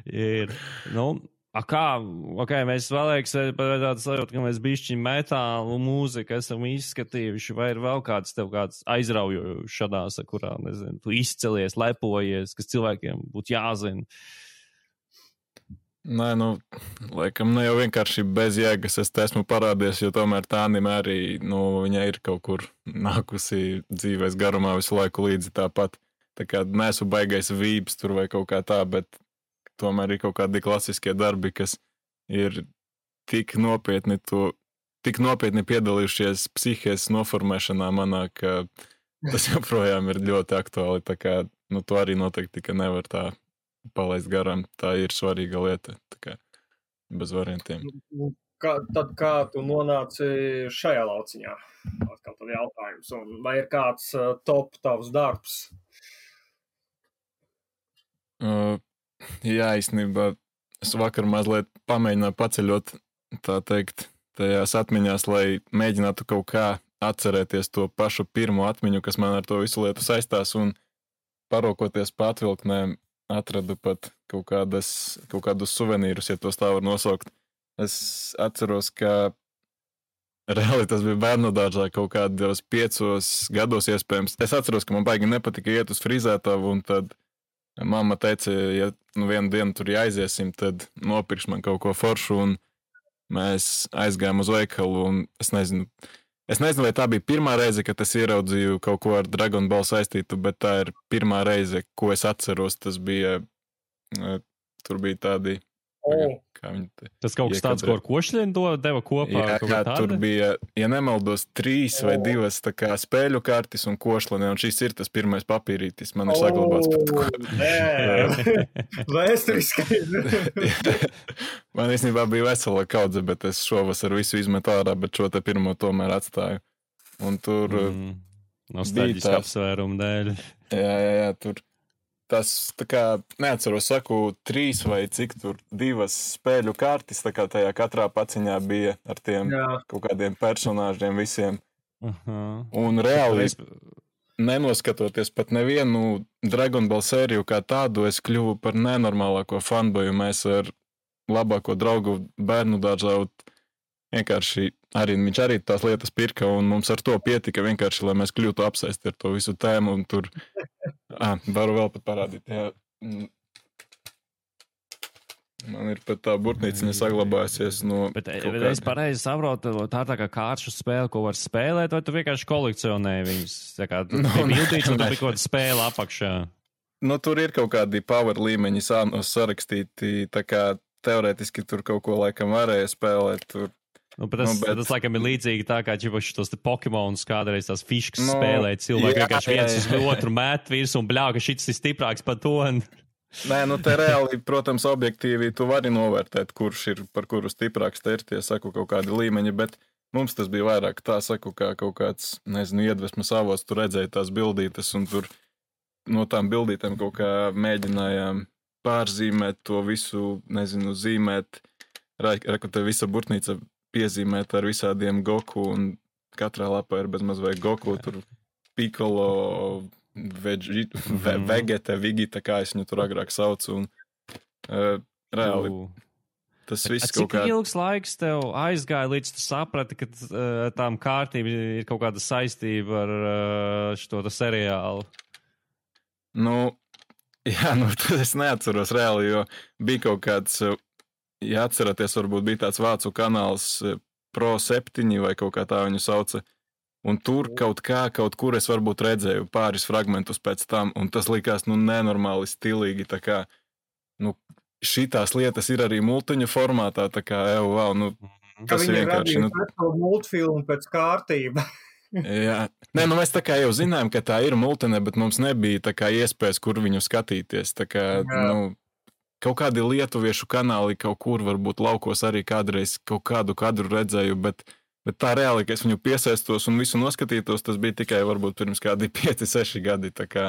Ir. Mēs vēlēks tādu sajūtu, ka mēs bišķiņ metālu mūziku esam izskatījuši, vai ir vēl kāds aizraujošs šādās, kurā, nezinu, tu izcelies, lepojies, kas cilvēkiem būtu jāzina. Nē, laikam ne jau vienkārši bez jēgas es te esmu parādies, jo tomēr tā anime arī, viņa ir kaut kur nākusi dzīvēs garumā visu laiku līdzi tāpat. Tā kā neesmu baigais vības tur vai kaut kā tā, bet tomēr ir kaut kādi klasiskie darbi, kas ir tik nopietni piedalījušies psihes noformēšanā manā, ka tas joprojām ir ļoti aktuāli. Tā kā, to arī noteikti, ka nevar tā palaist garām, tā ir svarīga lieta, tā kā bez variantiem. Tad kā tu nonāci šajā lauciņā? Atkal tad jautājums, un vai ir kāds top tavs darbs? Jā, īstenībā es vakar mazliet pamēģināju paceļot, tā teikt, tajās atmiņās, lai mēģinātu kaut kā atcerēties to pašu pirmo atmiņu, kas man ar to visu lietu saistās, un parokoties pa atvilknēm atradu pat kaut kādus suvenīrus, ja tos tā var nosaukt. Es atceros, ka reāli tas bija bērnudārzā kaut kādos 5 gados iespējams. Es atceros, ka man baigi nepatika iet uz frizētavu, un tad mamma teica, ja vienu dienu tur jāiziesim, tad nopirks man kaut ko foršu, un mēs aizgājām uz veikalu, un es nezinu, vai tā bija pirmā reize, kad es ieraudzīju kaut ko ar Dragon Ball saistītu, bet tā ir pirmā reize, ko es atceros. Tas bija, tur bija tādi Kā viņi te Tas kaut kas tāds, ko ar košļiem deva kopā? Jā, tur bija, ja nemaldos, 3 vai 2 tā kā spēļu kartis un košļi, un šis ir tas pirmais papīrītis, man ir saglabāts pat ko. Vēsturiskais. Man īstenībā bija vesela kaudze, bet es šovasar visu izmetu ārā, bet šo te pirmo tomēr atstāju. Un tur nostalģiski apsvērumu dēļ. Jā, tur tas, tā kā, neatceros, saku, 3 vai cik tur 2 spēļu kartis, tā kā tajā katrā paciņā bija ar tiem kaut kādiem personāžiem visiem. Un reāli, nenoskatoties pat nevienu Dragon Ball sēriju kā tādu, es kļuvu par nenormālāko fanboju. Mēs ar labāko draugu bērnu dārzā vienkārši viņš arī tās lietas pirka, un mums ar to pietika vienkārši, lai mēs kļūtu apsaisti ar to visu tēmu, un tur varu vēl pat parādīt. Jā. Man ir pat tā burtnīciņa saglabājusies no... Bet es pareizi saprotu, tā kā kāršu spēle, ko var spēlēt, vai tu vienkārši kolekcionēji viņus? Tā kā tu bildīts, un tu bija kaut kāda spēle apakšā. Nu, tur ir kaut kādi power līmeņi sarakstīti, tā kā teorētiski tur kaut ko laikam varēja spēlēt, tur. Bet tas laikam ir līdzīgi tā, kā šos Pokemonus kādreiz tās fiškas spēlēja cilvēki, vienkārši viens uz otru mēt virs un bļā, ka šits ir stiprāks par to. Nē, te reāli, protams, objektīvi tu vari novērtēt, kurš ir par kuru stiprāks, te ir tie, saku, kaut kādi līmeņi, bet mums tas bija vairāk tā, saku, kā kaut kāds, nezinu, iedvesmas avots, tu redzēji tās bildītes un tur no tām bildītēm kaut kā mēģinājām pārzīmēt to visu, nezinu, zīmēt, reku te visa burtnīca piezīmēt ar visādiem Goku, un katrā lapā ir bezmaz vai Goku, tur Piccolo, Vegeta, Vigita, kā es viņu tur agrāk saucu, un reāli tas viss kaut kā... Cik ilgs laiks tev aizgāja, līdz tu saprati, ka tām kārtīm ir kaut kāda saistība ar šo seriālu? Tas es neatceros reāli, jo bija kaut kāds... Ja atceraties, varbūt bija tāds vācu kanāls Pro 7 vai kaut kā tā viņu sauca, un tur kaut kur es varbūt redzēju pāris fragmentus pēc tam, un tas likās, nenormāli stilīgi, tā kā, šitās lietas ir arī multiņu formātā, tā kā, tas ir vienkārši... Viņi radīja multfilmu pēc kārtība. Jā. Nē, mēs tā kā jau zinājām, ka tā ir multine, bet mums nebija tā kā iespējas, kur viņu skatīties, tā kā, kaut kādi lietuviešu kanāli kaut kur, varbūt laukos arī kādreiz kaut kādu kadru redzēju, bet tā reāli, ka es viņu piesaistos un visu noskatītos, tas bija tikai varbūt pirms kādi 5-6 gadi, tā kā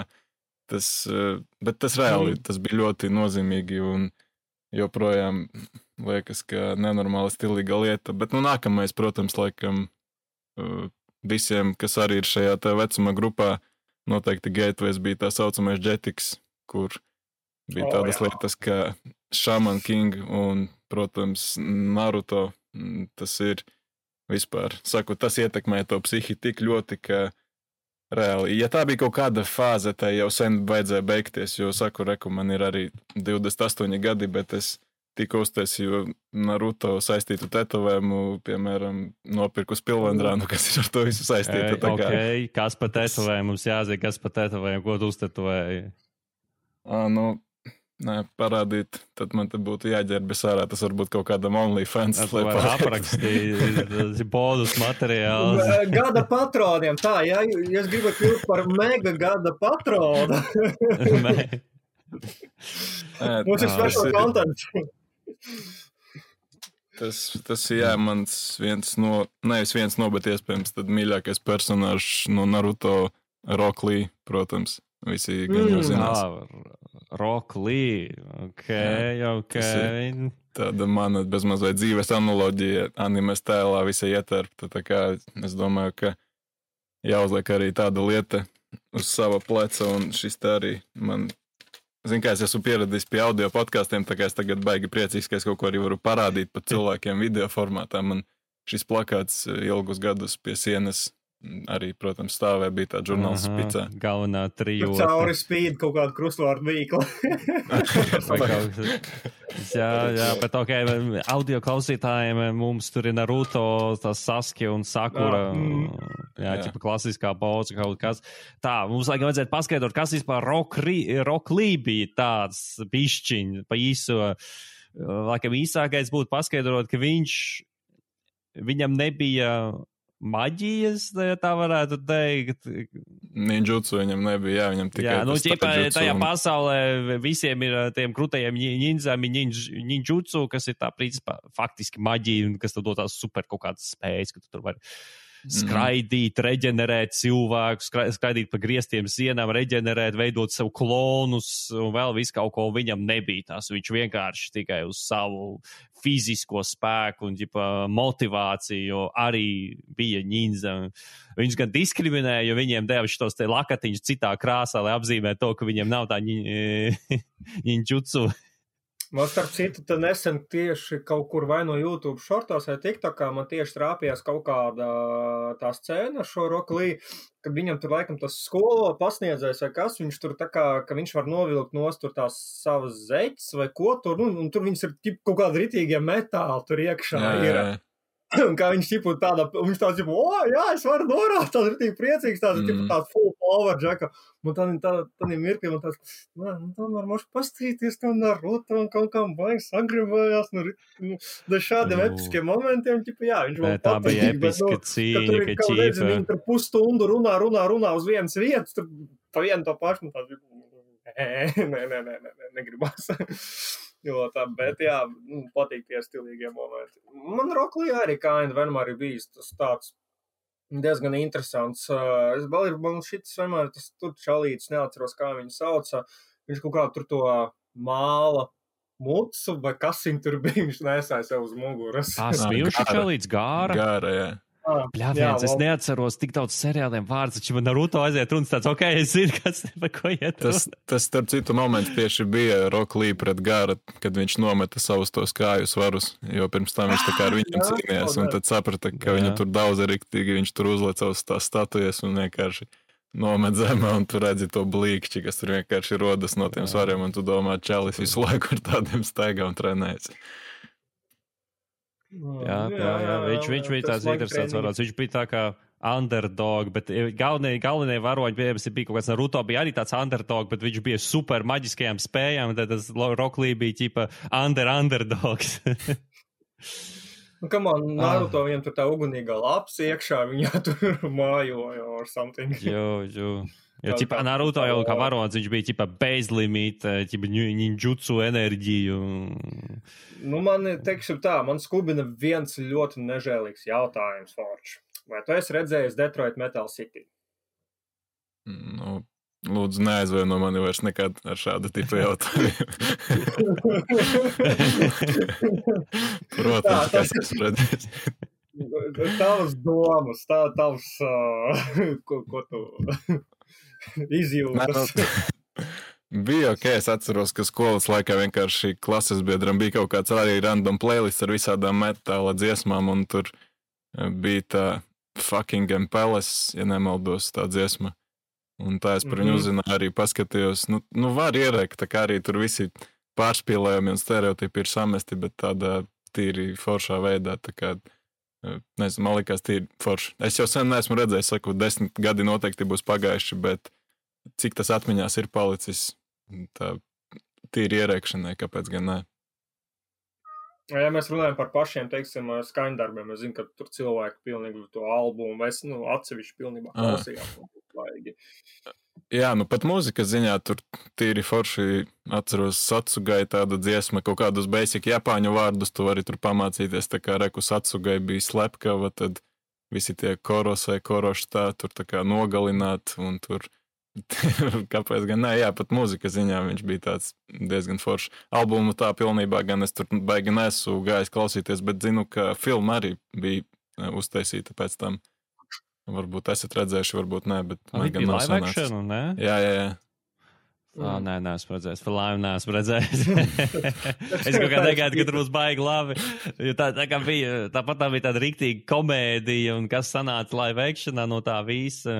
bet tas reāli, tas bija ļoti nozīmīgi un joprojām liekas, ka nenormāli stilīga lieta, bet nākamais, protams, laikam visiem, kas arī ir šajā tā vecuma grupā, noteikti Gateways bija tā saucamais Jetix, kur bija tādas lietas, kā Shaman King un, protams, Naruto. Tas ir vispār, saku, tas ietekmē to psihi tik ļoti, ka reāli, ja tā bija kaut kāda fāze, tai jau sen vajadzēja beigties, jo, saku, man ir arī 28 gadi, bet es tikko uztaisīju Naruto saistītu tetovējumu, piemēram, nopirku spilvendrānu, kas ir ar to visu saistīta. Kas pa tetovējumu? Mums jāzina, kas pa tetovējumu, ko tu uztetovēji? Nē, parādīt, tad man te būtu jāģērbjas ārā, tas varbūt kaut kādam OnlyFans. Tas var aprakstīt, bonus materiāls. Gada patroniem, tā, ja es gribu kļūt par mega gada patronu. Mums ir special content. Tas mans nevis viens no, bet iespējams tad mīļākais personāžs no Naruto, Rock Lee, protams. Visi gan jau zinās. Rock Lee, ok. Tāda mana bezmaz vai dzīves analoģija animes tēlā visai ietērpta, tā kā es domāju, ka jāuzliek arī tāda lieta uz sava pleca, un šis te arī man, zin kā es esmu pieradījis pie audio podkastiem, tā kā es tagad baigi priecīgs, ka es kaut ko arī varu parādīt pat cilvēkiem video formātā. Man šis plakāts ilgus gadus pie sienas arī, protams, stāvē bija tā žurnāls spicā. Galvenā trijota. Cauri spīd kaut kādu krustvārdu vīklu. jā, bet ok, audio klausītājiem mums tur ir Naruto, tas Sasuke un Sakura. Ķipa klasiskā pauze kaut kas. Tā, mums vajadzētu paskaidrot, kas vispār Rock Lee bija tāds bišķiņ pa īso. laikam īsākais būtu paskaidrot, ka viņam nebija maģijas, tā varētu teikt. Ninjutsu viņam nebija, viņam tikai tajā pasaulē visiem ir tiem krūtajiem nindzām, ninjutsu, kas ir tā principā faktiski maģija, un kas tad dod tās super kaut kādas spējas, ka tu tur vari skraidīt, reģenerēt cilvēku, skraidīt pa griestiem sienām, reģenerēt, veidot sev klonus un vēl visu kaut ko. Viņam nebija tās. Viņš vienkārši tikai uz savu fizisko spēku un motivāciju arī bija ņinza. Viņš gan diskriminēja, jo viņiem deva šitos te lakatiņus citā krāsā, lai apzīmē to, ka viņiem nav tā ninjutsu. Man starp citu, tad nesen tieši kaut kur vai no YouTube šortos vai TikTokā man tieši trāpījās kaut kāda tā scēna šo Rock Lee, kad viņam tur laikam tas skolo pasniedzējs vai kas, viņš tur tā kā, ka viņš var novilkt nost tur tās savas zeķes vai ko tur, un tur viņas ir kaut kādi ritīgie metāli tur iekšā ir. Un kā viņš viņš tāds, jā, es varu norāt, tāds ir tik priecīgs, tāds full power džeka. Un tad mirkli man tāds, tomēr moši pastīties tam Naruto un kaut kam baigi sagribējās, šādiem episkiem momentiem, jā, viņš vēl tā bija episka cīņa, ka ķīpa. Viņi tur pusstundu runā uz vienas vietas, tur pa vienu to pašu, un tāds, negribās. Jo tā, bet jā, patīk tie stilīgie momenti. Man Rock Lee arī vienmēr ir bijis tas tāds diezgan interesants. Man šitas vienmēr tas tur čalītis, neatceros, kā viņu sauca. Viņš kaut kā tur to māla mucu, vai kas viņu tur bija, viņš nesāja sev uz muguras. Smilšu čalītis Gāra? Gāra, jā. Bļāviens, es neatceros tik daudz seriāliem vārds, taču man Naruto aiziet runas tāds, es zinu, kas par ko iet runa. Tas starp citu moments tieši bija Rock Lee pret Gāra, kad viņš nometa savus tos kāju svarus, jo pirms tam viņš tā kā ar viņam cīnījās, un tad saprata, ka viņu tur daudz riktīgi, viņš tur uzliec savus tās statujas un vienkārši nomet zemē, un tu redzi to blīkšķi, kas tur vienkārši rodas no tiem svariem, un tu domā, čalis visu laiku ar tādiem staigā un trenējas. Jā, viņš bija tāds interesants varonis. Viņš bija tā kā underdog, bet galvenie varoņi bija kaut kāds Naruto, bija arī tāds underdog, bet viņš bija super maģiskajām spējām, tad tas Rock Lee bija ķipa underdogs. Come on, Naruto viņam tur tā ugunīgā laps iekšā, viņā tur mājoja or something. Jo. Jo, Naruto jau kā varonis, viņš bija bezlimita, ninjutsu enerģiju. Teiksim tā, man skubina viens ļoti nežēlīgs jautājums, Forč. Vai tu esi redzējis Detroit Metal City? Lūdzu, neaizvaino mani vairs nekad ar šādu tipu jautājumu. Protams, ka es esmu redzējis. Tavas domas, tavs, ko tu izjūtas. Bija es atceros, ka skolas laikā vienkārši klases biedram bija kaut kāds arī random playlist ar visādām metāla dziesmām, un tur bija tā Fucking Palace, ja nemaldos, tā dziesma. Un tā es par viņu uzzināju, arī paskatījos. Var ierēkt, tā kā arī tur visi pārspīlējumi un stereotipi ir samesti, bet tādā tīri foršā veidā, tā kā nezinu, man likās tīri forši. Es jau sen neesmu redzējis, saku, 10 gadi noteikti būs pagājuši, bet cik tas atmiņās ir palicis, tā tīri ierēkšanai, kāpēc gan ne? Ja mēs runājam par pašiem, teiksim, skaņdarbiem, es zinu, ka tur cilvēki pilnīgi to albumu, vai atsevišķi pilnībā klausījās. Jā, pat mūzikas ziņā tur tīri forši atceros Satsugai tāda dziesma, kaut kādus basic japāņu vārdus tu vari tur pamācīties, tā kā reku Satsugai bija slepkava, tad visi tie korosai, koroštā tur tā kā nogalināt, un tur kāpēc gan ne, jā, pat mūzikas ziņā viņš bija tāds diezgan foršs. Albumu tā pilnībā gan es tur baigi nesu gājis klausīties, bet zinu, ka filma arī bija uztaisīta pēc tam. Varbūt esat redzējuši, varbūt ne, bet man gan nav sanācis. Live action, ne? Jā. Nē, neesmu redzējis. Par laimi neesmu redzējis. Es kaut kā negaidu, ka tur būs baigi labi. Tāpat tā bija tāda riktīga komēdija, un kas sanāca live actionā no tā visa.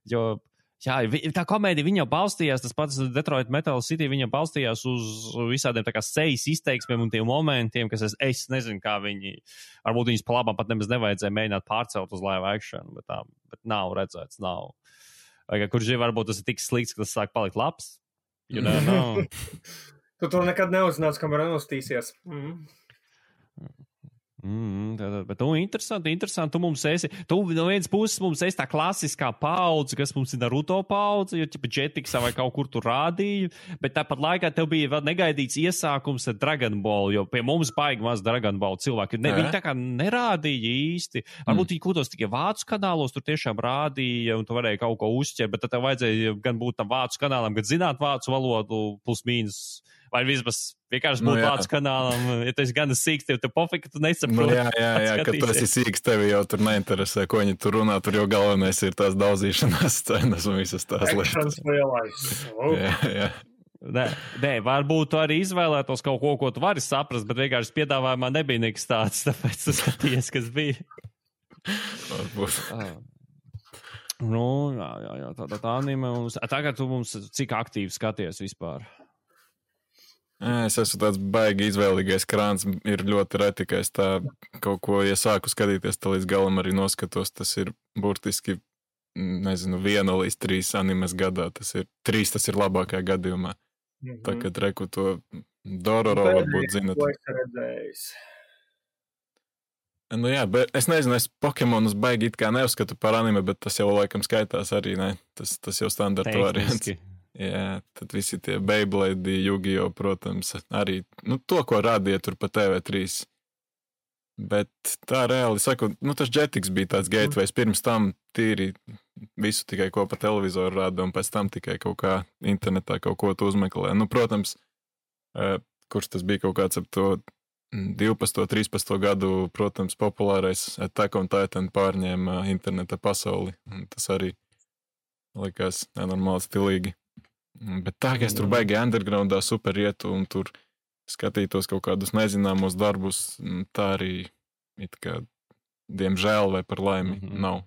Jo, jā, tā komēdija, viņa jau balstījās, tas pats Detroit Metal City, viņa balstījās uz visādiem tā kā sejas izteiksmēm un tiem momentiem, kas es nezinu, kā viņi, varbūt viņas pa labam pat nemaz nevajadzēja mēģināt pārcelt uz live action, bet nav redzēts, nav. Vai kurš varbūt tas ir tik slikts, ka tas sāk palikt labs? You know. Tu to nekad neuzzināsi, kamēr nostīsies. Bet tu interesanti, tu mums esi, tu no vienas puses mums esi tā klasiskā paudze, kas mums ir Naruto paudze, jo ķipa Jetiksā vai kaut kur tu rādīji, bet tāpat laikā tev bija vēl negaidīts iesākums ar Dragon Ball, jo pie mums baigi maz Dragon Ball cilvēki. Viņi tā kā nerādīja īsti. Varbūt viņi kaut kādos tikai vācu kanālos tur tiešām rādīja, un tu varēji kaut ko uzķert, bet tad tev vajadzēja gan būt tam vācu kanālam, gan zināt vācu valodu plus mīnus. Vai vismaz vienkārši būt vācu kanālam, ja tu esi gan sīks, tev pofika, tu nesaproti. Jā, ka tu esi sīks, tevi jau tur neinteresē, ko viņi tur runā, tur jau galvenais ir tās daudzīšanās cenas un visas tās lietas. Jā. Nē, varbūt tu arī izvēlētos kaut ko tu vari saprast, bet vienkārši piedāvājumā nebija nekas tāds, tāpēc tu skaties, kas bija. Varbūt. Jā, tā anime mums. Tagad tu mums cik aktīvi skaties vispār? Es esmu tāds baigi izvēlīgais krāns, ir ļoti reti, ka es tā kaut ko, ja sāku skatīties, tā līdz galam arī noskatos, tas ir burtiski, nezinu, 1 līdz 3 animes gadā, tas ir labākajā gadījumā. Tā, kad reku to Dororo varbūt zinat. Jā, bet es nezinu, es Pokemonus baigi it kā neuzskatu par anime, bet tas jau laikam skaitās arī, ne? Tas jau standarta variants. Jā, tad visi tie Beyblade, Yu-Gi-Oh, protams, arī, to, ko rādīja tur pa TV3. Bet tā reāli saku, tas Jetix bija tāds gateways, pirms tam tīri visu tikai ko pa televizoru rāda, un pēc tam tikai kaut kā internetā kaut ko tu uzmeklē. Protams, kurš tas bija kaut kāds ap to 12, 13 gadu, protams, populārais Attack on Titan pārņēma interneta pasauli, un tas arī likās nenormāli stilīgi. Bet tā, ka es tur baigi undergroundā super ietu un tur skatītos kaut kādus nezināmos darbus, tā arī it kā, diemžēl vai par laimi, nav.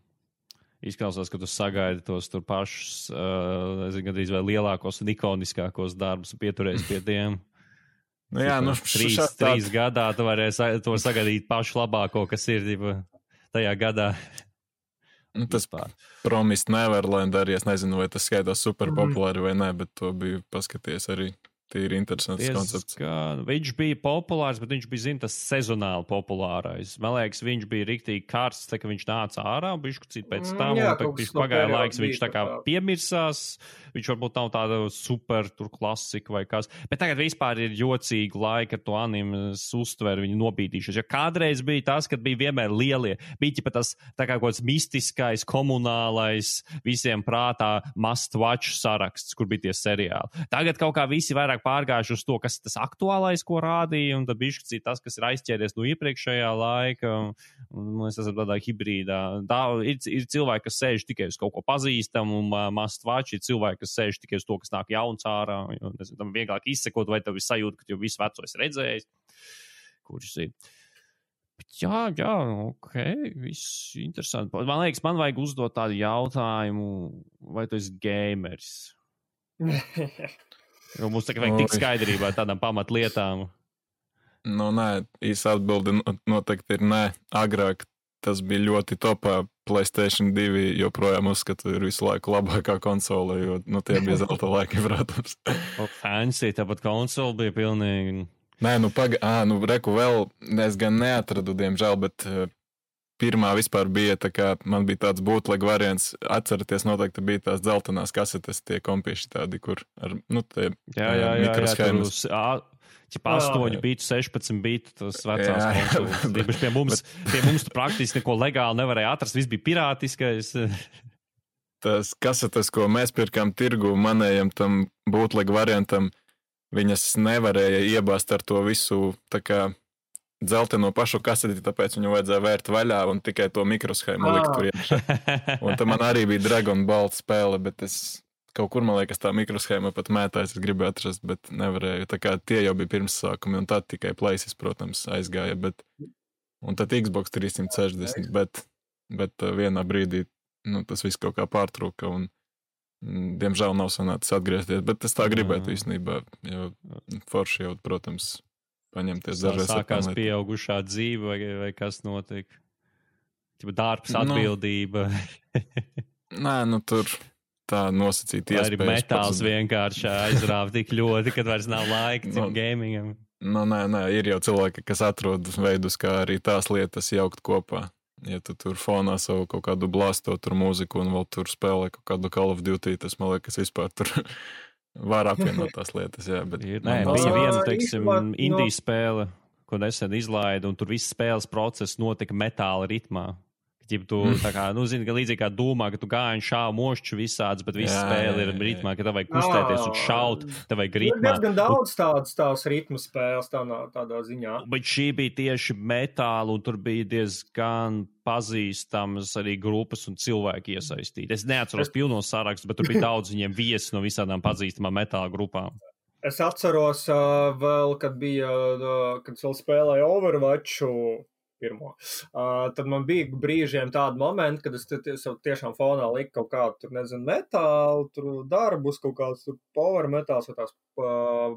Izklausās, ka tu sagaidi tos tur pašus, gandrīz vai lielākos un ikoniskākos darbus un pieturēs pie tiem. Jā, 3 gadā tu varēsi to sagaidīt pašu labāko, kas ir tajā gadā. Tas Promised Neverland arī, es nezinu, vai tas skaitās super populāri vai nē, bet to biju paskaties arī. Tīri interesants koncepts. Viņš bija populārs, bet viņš bija, tas sezonāli populārais. Man liekas, viņš bija riktīgi karsts, tā ka viņš nāca ārā, bišķi pēc tam, un viņš pagāja laiks, viņš tā kā piemirsās, viņš varbūt nav tāda super tur klasika vai kas. Bet tagad vispār ir jocīgi laika ar to animes uztveru, viņu nobīdīšos. Jo kādreiz bija tas, kad bija vienmēr lielie, bija ķipa tas tā kā kaut kāds mistiskais, komunālais, visiem prātā must watch saraksts, kur bija tie seriāli. Tagad kaut kā visi vairāk pārgājuši uz to, kas ir tas aktuālais, ko rādīja, un tad bišķi tas, kas ir aizķēries no iepriekšējā laika, un mēs esam tādā hibrīdā. Ir cilvēki, kas sēž tikai uz kaut ko pazīstam, un must watch ir cilvēki, kas sēž tikai uz to, kas nāk jauns ārā, jo tam vieglāk izsekot, vai tev ir sajūta, ka jau visu veco esi redzējis, kurš ir. Bet jā, ok, viss interesanti. Man liekas, man vajag uzdot tādu jautājumu, vai tu esi gamers? Jo mums tagad vajag tik skaidrībā tādām pamatlietām. Nē, īsa atbilde noteikti ir nē. Agrāk tas bija ļoti topā. PlayStation 2 joprojām uzskatu ir visu laiku labākā konsole, jo tie bija zelta laiki, protams. Fancy, tāpat konsole bija pilnīgi. Nē, reku vēl, es gan neatradu, diemžēl, bet pirmā vispār bija, tā kā man bija tāds bootleg variants, atceraties, noteikti bija tās dzeltenās kasetes, tie kompieši tādi, kur ar, tie mikroshēmas. Jā, 8 bitu, 16 bitu, tas vecās konsoles. Pie mums tu praktiski neko legāli nevarēja atrast, viss bija pirātiskais. Tas kasetes, ko mēs pirkām tirgu, manējam tam bootleg variantam, viņas nevarēja iebāzt ar to visu, tā kā dzelteno pašu kaseti, tāpēc viņu vajadzēja vērt vaļā un tikai to mikroshēmu likt tur iekšā. Un tam man arī bija Dragon Ball spēle, bet es kaut kur, man liekas, tā mikroshēma pat mētājs, es gribēju atrast, bet nevarēju. Tā kā tie jau bija pirmsākumi, un tad tikai Playstation, protams, aizgāja, un tad Xbox 360, bet vienā brīdī, tas viss kaut kā pārtrūka, un diemžēl nav sanācis atgriezties, bet es tā gribētu īstenībā, jo forši jau, protams, paņemties dažreiz. Sākās pieaugušā dzīve vai kas notiek? Darbs, atbildība. Nē, tur tā nosacīt iespējas. Arī metāls vienkārši aizrāva tik ļoti, kad vairs nav laika cim gamingam. Nē, ir jau cilvēki, kas atrod veidus, kā arī tās lietas jaukt kopā. Ja tu tur fonā savu kaut kādu blāsto tur mūziku un vēl tur spēlē kaut kādu Call of Duty, tas man liekas vispār tur var apvienot tās lietas, jā. Bet bija viena, teiksim, indiju spēle, ko nesen izlaida, un tur viss spēles process notika metāla ritmā. Ja tu tā kā, zini, ka līdzīgi kā domā, ka tu gāji šāvi mošķu visāds, bet viss spēle ir ritmā, ka tev vajag kustēties un šaut, tev vajag ritmā. Ir diezgan daudz tās ritmu spēles tādā ziņā. Bet šī bija tieši metāla, un tur bija diezgan pazīstamas arī grupas un cilvēki iesaistīti. Es neatceros pilno sarakstu, bet tur bija daudz viņiem viesi no visādām pazīstamām metāla grupām. Es atceros vēl, kad es vēl spēlēju Overwatchu, pirmo. Tad man bija brīžiem tādi momenti, kad es tiešām fonā liku kaut kādu, tur nezinu, metālu, tur darbus, kaut kāds tur power metāls vai tās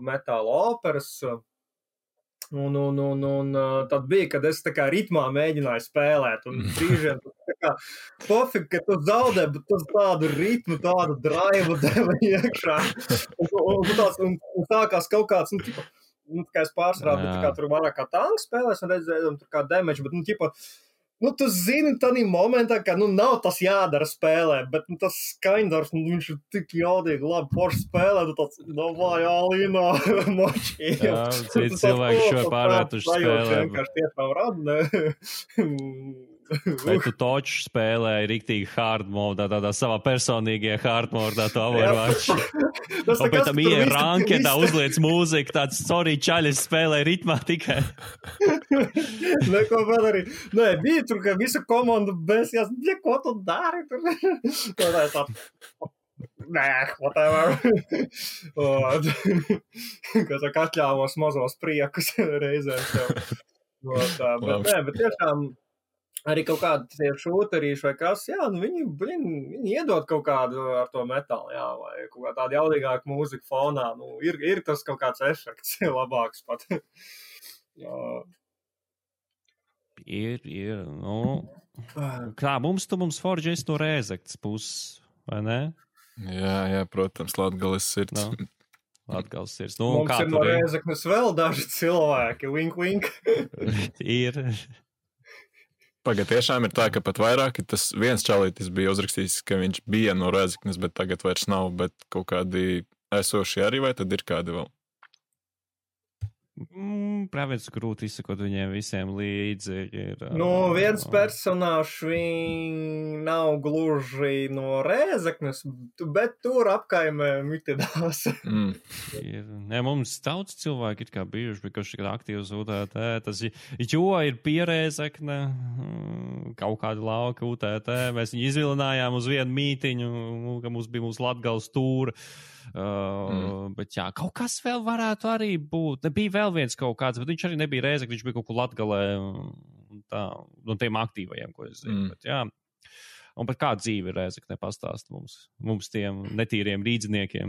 metāla operas. Un tad bija, kad es tā kā ritmā mēģināju spēlēt, un brīžiem tā kā pofīgi, ka tu zaudē, bet tas tādu ritmu, tādu drive deva iekšā. Un sākās kaut kāds, kā es pārsvarā, bet tā kā tur vairāk kā tanks spēlēs un redzēju, tur kā damage, bet, tu zini tādā momentā, ka, nav tas jādara spēlē, bet, tas Skaindors, viņš ir tik jaudīgi labi porši spēlē, tu tāds, vai Alīno močī. Jā, citi cilvēki šo pārvērtuši spēlē. Vienkārši tiešām rada, Vai tu toču spēlēji riktīgi hard modā, tādā savā personīgajā hard modā, to Overwatch? Un pēc tam rankedā uzliec mūziku, tāds, sorry, čaļi, spēlēja ritmā tikai. Neko vēl arī. Nē, bija tur, ka visa komanda besjās, ko tu dari tur? Nē, whatever. Kas atļāvos mazos priekus reizēm tev. Bet tiešām arī kaut kādi tie šūterīši vai kas, jā, viņi iedod kaut kādu ar to metālu, jā, vai kaut kā tādu jaudīgāku mūziku fonā, ir tas kaut kāds efekts labāks pat. Ir, kā mums Forģis no Rēzektas puses, vai ne? Jā, protams, Latgales sirds. Latgales sirds. Mums ir no Rēzektas vēl daži cilvēki, wink. Ir. Pagad, tiešām ir tā, ka pat vairāk, tas viens čalītis bija uzrakstījis, ka viņš bija no Rēzeknes, bet tagad vairs nav, bet kaut kādi esoši arī, vai tad ir kādi vēl? Prāvēts grūti izsakot viņiem visiem līdzi. Viens personāžs nav gluži no Rēzeknes, bet tur apkaimē mitidās. Mums daudz cilvēki ir kā bijuši, bet kurš ir aktīvs UTT. Jo ir Pierēzekne, kaut kādi lauki UTT. Mēs viņu izvilinājām uz vienu mītiņu, ka mums bija mūsu Latgales tūra. Bet jā, kaut kas vēl varētu arī būt. Nebija vēl viens kaut kāds, bet viņš arī nebija Rēzekne, viņš bija kaut kur Latgalē no tiem aktīvajiem, ko es zinu. Bet jā. Un par kādu dzīvi Rēzekne pastāst mums tiem netīriem rīdziniekiem?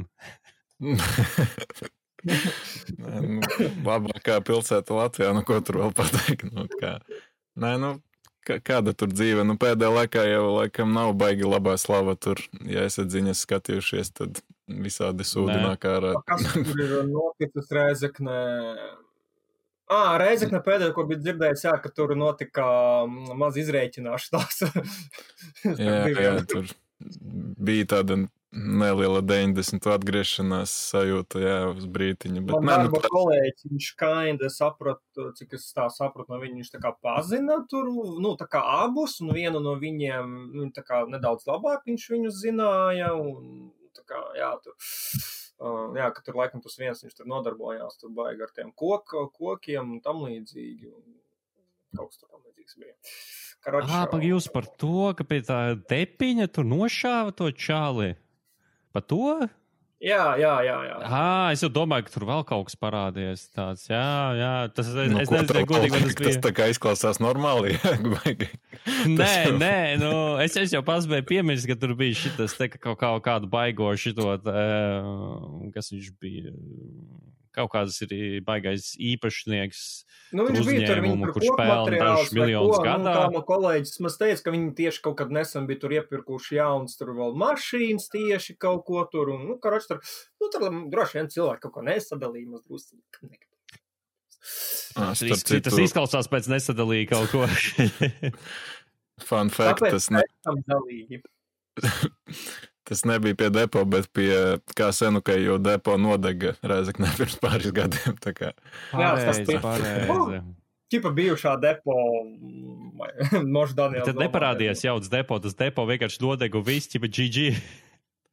Labākā pilsēta Latvijā, ko tur vēl pateikt? Kāda tur dzīve? Pēdējā laikā jau laikam nav baigi labā slava tur. Ja esat ziņas skatījušies, tad visādi sūdinā kārā. Kas tur ir noticis Rēzeknē? Rēzekne pēdējā, ko bija dzirdējis, ka tur notika maz izrēķināšanās. jā, tur bija tāda neliela 90 atgriešanās sajūta, jā, uz brītiņu. Bet, man darba kolēģis, viņš kinda sapratu, cik es tā sapratu no viņa, viņš tā kā pazina tur, tā kā abus, un vienu no viņiem, tā kā nedaudz labāk viņš viņu zināja, un tā kā, jā, tur, ka tur laikam tas viens, viņš tur nodarbojās, tur baigi ar tiem kokiem un tam līdzīgi, un kaut kas tur tam līdzīgs bija. Pag jūs par to, ka pie tā tepiņa tur nošāva to čāli. Pa to? Jā. Es jau domāju, ka tur vēl kaut kas parādījies tāds. Jā, tas es nezinu, godīgi, vai tas bija. Tas tā kā izklausās normāli, jā? Nē, es jau paspēju piemirst, ka tur bija šitas te kaut kādu baigo šitot, kas viņš bija, kaut kāds ir baigais īpašnieks viņš bija tur, viņi tur kurš pelna dažus miljonus gadā. Tā man kolēģis man teica, ka viņi tieši kaut kad nesen bija tur iepirkuši jauns, tur vēl mašīnas tieši kaut ko tur, un, tur droši vien cilvēki kaut ko nesadalīja, maz drusci. Tas izklausās pēc nesadalīja kaut ko. Fun fact, tas nebija pie depo, bet pie kā senukai, jo depo nodega Rēzeknē pirms pāris gadiem. Tā kā. Pareizi. Ķipa bijušā depo Mož Daniels. Tad neparādījās jauns depo, tas depo vienkārši nodega viss, ķipa GG.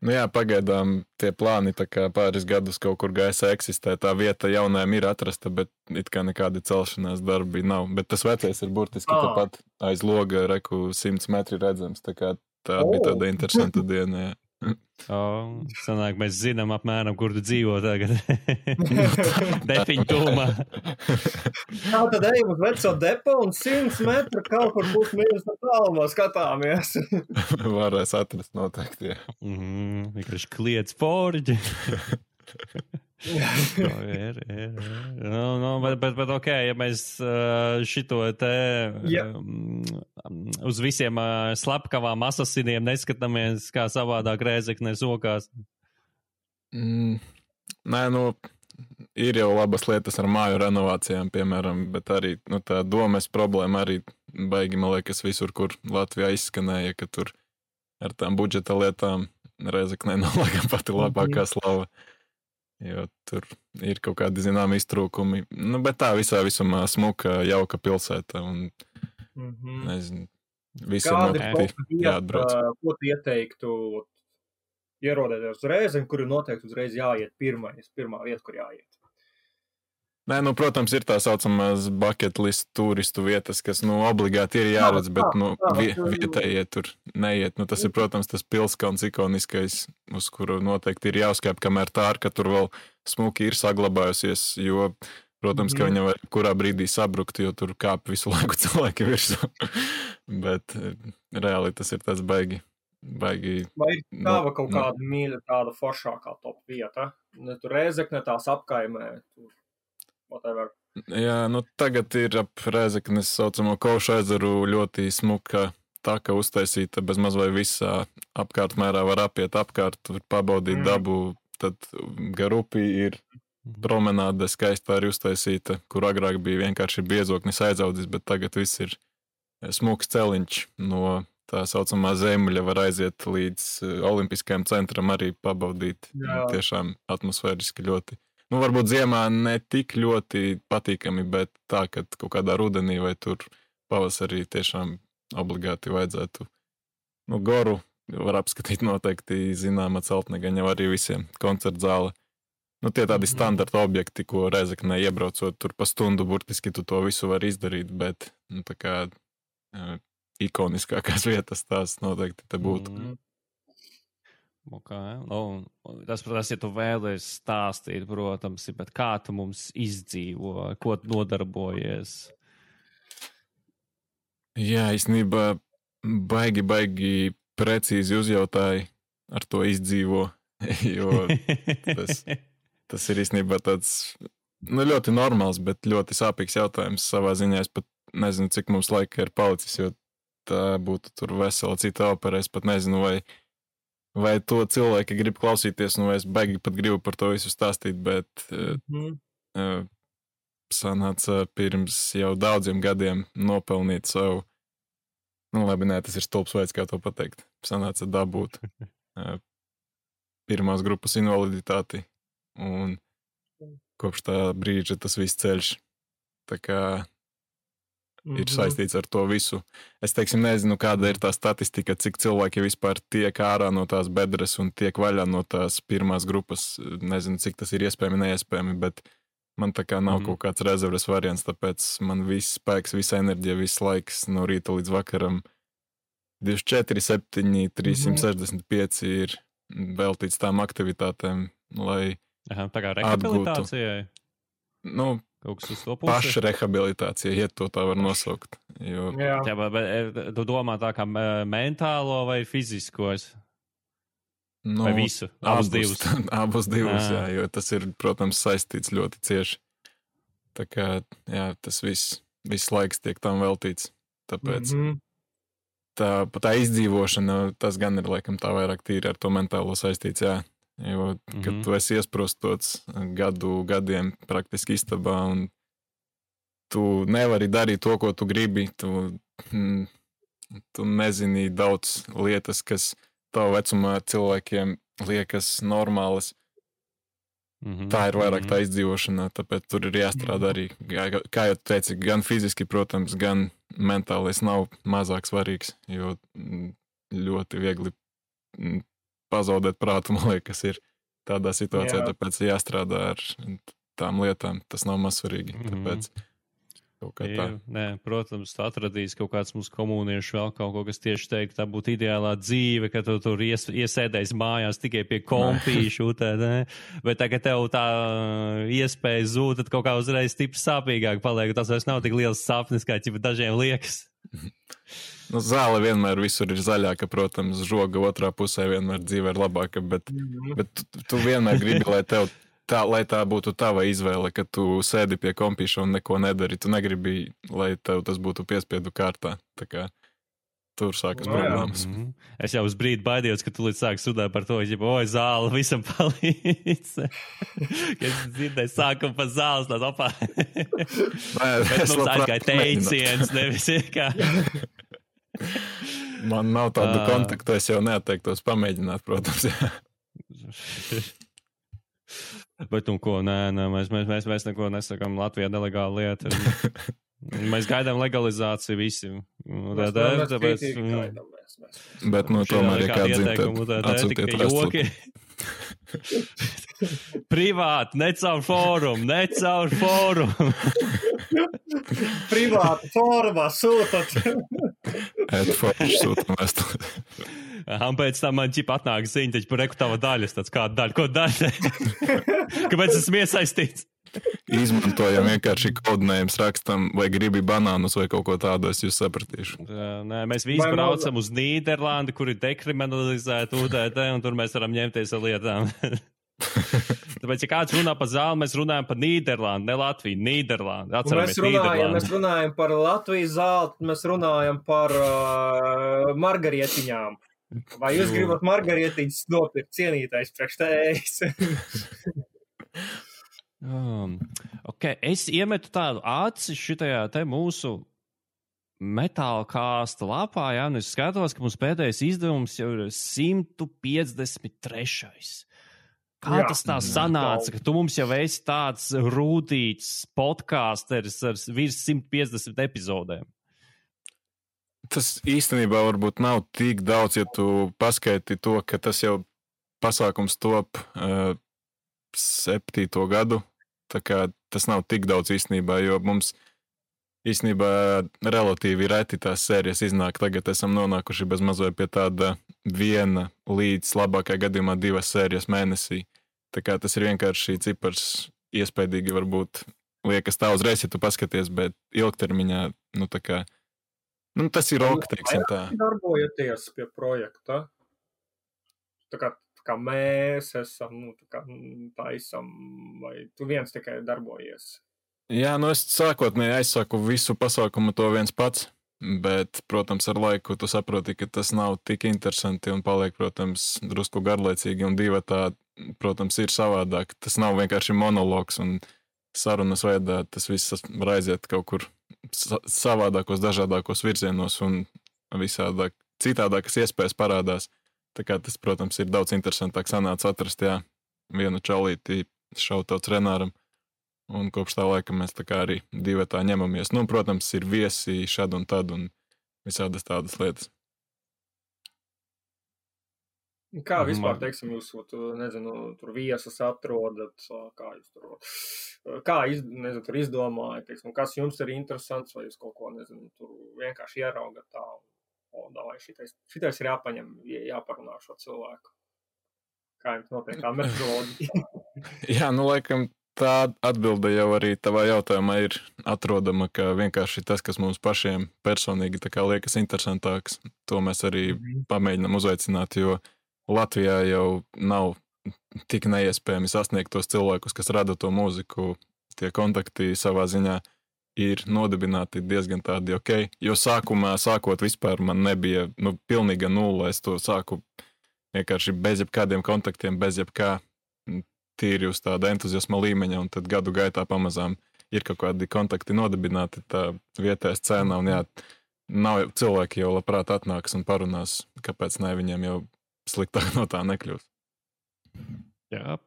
Nu jā, pagaidām tie plāni tā kā pāris gadus kaut kur gaisa eksistē, tā vieta jaunajam ir atrasta, bet it kā nekādi celšanās darbi nav. Bet tas vecais ir burtiski tāpat aiz loga, 100 metri redzams, tā kā tā bija tāda interesanta diena, jā. Sanāk, mēs zinām apmēram, kur tu dzīvo tagad. Depiņu tūmā. Tad ejam uz veco depo un 100 metru kaut kur būs mīnus no tālumā skatāmies. Varēs atrast noteikti, jā. Vienkārši kliedz forģi. Bet ok, ja mēs šito te uz visiem slepkavām asasiniem neskatāmies, kā savādāk Rēzeknē sokās. Nē, ir jau labas lietas ar māju renovācijām, piemēram, bet arī tā domes problēma arī baigi, man liekas, visur, kur Latvijā izskanēja, ka tur ar tām budžeta lietām Rēzeknē nav laikam pati labākā slava. Jo tur ir kaut kādi zināmi iztrūkumi. Bet tā visumā smuka, jauka pilsēta un nezinu, visiem noteikti jāatbrauc. Ko tu ieteiktu ierodēties uz Rēzekni, kur ir noteikti uzreiz jāiet pirmā vieta, kur jāiet? Nē, protams, ir tā saucamās bucket list turistu vietas, kas, obligāti ir jāredz, bet, vietējie tur neiet. Tas ir, protams, tas pilskalns ikoniskais, uz kuru noteikti ir jāuzkāp, kamēr tā arka tur vēl smuki ir saglabājusies, jo, protams, ka viņa var kurā brīdī sabrukt, jo tur kāp visu laiku cilvēki virsū. Bet reāli tas ir tas baigi. Vai ir tava kaut kāda mīļa, tāda foršākā top vieta? Tur Rēzekne tās apkaimē, tur. Whatever. Jā, tagad ir ap Rēzeknes saucamo Kovšu ezeru ļoti smuka taka uztaisīta, bez maz vai visā apkārtmērā var apiet apkārt, var pabaudīt dabu, tad gar upi ir promenāde skaistā arī uztaisīta, kur agrāk bija vienkārši biezoknis aizaudzis, bet tagad viss ir smuks celiņš no tā saucamā Zemļa, var aiziet līdz Olimpiskajam centram arī pabaudīt. Tiešām atmosfēriski ļoti. Varbūt ziemā ne tik ļoti patīkami, bet tā, ka kaut kādā rudenī vai tur pavasarī tiešām obligāti vajadzētu. Goru var apskatīt noteikti zināma celtnegaņa arī visiem koncertzāle. Tie tādi standarta objekti, ko Rēzeknē iebraucot tur pa stundu burtiski tu to visu var izdarīt, bet tā kā ikoniskākās vietas tās noteikti te būtu. Okay. Tas, ja tu vēlies stāstīt, protams, bet kā tu mums izdzīvo, ko tu nodarbojies? Jā, īstenībā baigi precīzi uzjautāji ar to izdzīvo, jo tas ir īstenībā tāds ļoti normāls, bet ļoti sāpīgs jautājums savā ziņā. Es pat nezinu, cik mums laika ir palicis, jo tā būtu tur vesela cita opera. Es pat nezinu, vai to cilvēki grib klausīties, vai es baigi pat gribu par to visu stāstīt, bet sanāca pirms jau daudziem gadiem nopelnīt savu, tas ir stulbs veids, kā to pateikt, sanāca dabūt pirmās grupas invaliditāti, un kopš tā brīža tas viss ceļš, tā kā ir saistīts ar to visu. Es nezinu, kāda ir tā statistika, cik cilvēki vispār tiek ārā no tās bedres un tiek vaļā no tās pirmās grupas. Nezinu, cik tas ir iespējami, neiespējami, bet man tā kā nav kaut kāds rezerves variants, tāpēc man viss spēks, visa enerģija, viss laiks no rīta līdz vakaram 24, 7, 365 ir veltīts tām aktivitātēm, lai tā kā rehabilitācijai? Paša rehabilitācija, ja to tā var nosaukt. Jo... Jā, bet tu domā tā kā mentālo vai fiziskos? Nu, Vai visu? Abus divus? Abus divus, jā, jo tas ir, protams, saistīts ļoti cieši. Tā kā, jā, tas viss laiks tiek tam veltīts. Tāpēc tā izdzīvošana, tas gan ir, laikam, tā vairāk tīri ar to mentālo saistīts, jā. Jo, kad tu esi iesprostots gadiem praktiski istabā un tu nevari darīt to, ko tu gribi, tu nezini daudz lietas, kas tavu vecumā cilvēkiem liekas normālas. Tā ir vairāk tā izdzīvošana, tāpēc tur ir jāstrādā arī, kā jau teici, gan fiziski, protams, gan mentālais nav mazāk svarīgs, jo ļoti viegli pazaudēt prātu, man liekas, ir tādā situācijā, tāpēc jāstrādā ar tām lietām, tas nav maz svarīgi, tāpēc kaut kā tā. Nē, protams, tu atradīs kaut kāds mūsu komuniešu vēl kaut ko, kas tieši teikt, tā būtu ideālā dzīve, ka tu tur iesēdēs mājās tikai pie kompīšu, bet tagad tev tā iespēja zūd, tad kaut kā uzreiz stipri sāpīgāk paliek, tas vairs nav tik liels sapnis, kā dažiem liekas. Nu, zāle vienmēr visur ir zaļāka, protams, žoga otrā pusē vienmēr dzīve ir labāka, bet tu vienmēr gribi, lai tā būtu tava izvēle, ka tu sēdi pie kompīša un neko nedari. Tu negribi, lai tev tas būtu piespiedu kārtā. Tā kā tur sākas problēmas. Es jau uz brīdi baidījos, ka tu līdz sāks runāt par to, oi, zāle visam palīdz. Es dzirdēju sākumu pa zāles, tās opā. Bet mums aizgāja teiciens, nevis kā. Man nav tādu kontaktu, es jau neatteiktos pamēģināt, protams. Bet un ko, nē, mēs neko nesakām, Latvijā nelegāla lieta. Mēs gaidām legalizāciju visi. Bet, tomēr, ja kāds zina, tad atsūtiet joki. Privāti, ne caur fórumu. Privāti fórumā sūtat. Sūtam vēstuli. Un pēc tam man atnāk ziņa, taču par tava daļas, tāds kāda daļa, ko daļa? Kāpēc esmu iesaistīts? Izmantojam vienkārši kodinējums rakstam, vai gribi banānus vai kaut ko tādu, es jūs sapratīšu. Nē, mēs visi braucam uz Nīderlandi, kur ir dekriminalizēta UDT, un tur mēs varam ņemties ar lietām. Tāpēc, ja kāds runā par zāli, mēs runājam par Nīderlandi, ne Latviju, Nīderlandi. Atceramies Nīderlandi. Mēs runājam par Latvijas zāli, mēs runājam par margarietiņām. Vai jūs gribat margarietiņas nopirkt cienītais priekš tējas? Okay. Es iemetu tādu aci šitajā te mūsu metāla kāsta lapā, jā, un es skatos, ka mums pēdējais izdevums jau ir 153. Kā tas tā sanāca, ka tu mums jau esi tāds rūtīts podcasteris ar virs 150 epizodēm? Tas īstenībā varbūt nav tik daudz, ja tu paskaiti to, ka tas jau pasākums top 7. gadu. Tā kā tas nav tik daudz īstenībā, jo mums īstenībā relatīvi reti tās sērijas iznāk. Tagad esam nonākuši bez mazliet pie tāda 1 līdz labākajā gadījumā 2 sērijas mēnesī. Tā kā tas ir vienkārši cipars iespaidīgi varbūt liekas tā uzreiz, ja tu paskaties, bet ilgtermiņā, tā kā, tas ir ok, teiksim tā. Vai darbojaties pie projekta? Tā kā mēs esam, taisam, vai tu viens tikai darbojies? Jā, es sākotnēji aizsaku visu pasākumu to viens pats, bet, protams, ar laiku tu saproti, ka tas nav tik interesanti un paliek, protams, drusku garlaicīgi un divatā, protams, ir savādāk. Tas nav vienkārši monologs un sarunas veidā, tas viss var aiziet kaut kur savādākos, dažādākos virzienos un visādāk citādākas iespējas parādās. Tā kā tas, protams, ir daudz interesantāk sanāca atrast, vienu čalīti šautauts Renāram. Un kopš tā laika mēs tā kā arī divatā ņemamies. Protams, ir viesi šad un tad un visādas tādas lietas. Kā vispār, teiksim, jūs, tur viesus atrodat, kā jūs tur izdomājat, teiksim, kas jums ir interesants, vai jūs kaut ko, tur vienkārši ieraugat tā, davai, šitais ir jāpaņem, jāparunā šo cilvēku. Kā jums notiek tā metodi? Jā, laikam, tā atbilde jau arī tavā jautājumā ir atrodama, ka vienkārši tas, kas mums pašiem personīgi tā kā liekas interesantāks, to mēs arī pamēģinām uzveicināt, jo Latvijā jau nav tik neiespējami sasniegt tos cilvēkus, kas rada to mūziku. Tie kontakti savā ziņā ir nodibināti diezgan tādi ok. Jo sākot vispār man nebija pilnīga nulle. Es to sāku vienkārši bez jebkādiem kontaktiem, bez jebkā tīri uz tāda entuziasma līmeņa, un tad gadu gaitā pamazām ir kaut kādi kontakti nodibināti tā vietējā scēnā, un jā, nav cilvēki jau labprāt atnāks un parunās, kāpēc ne, viņiem jau sliktāk no tā nekļūst. Jā.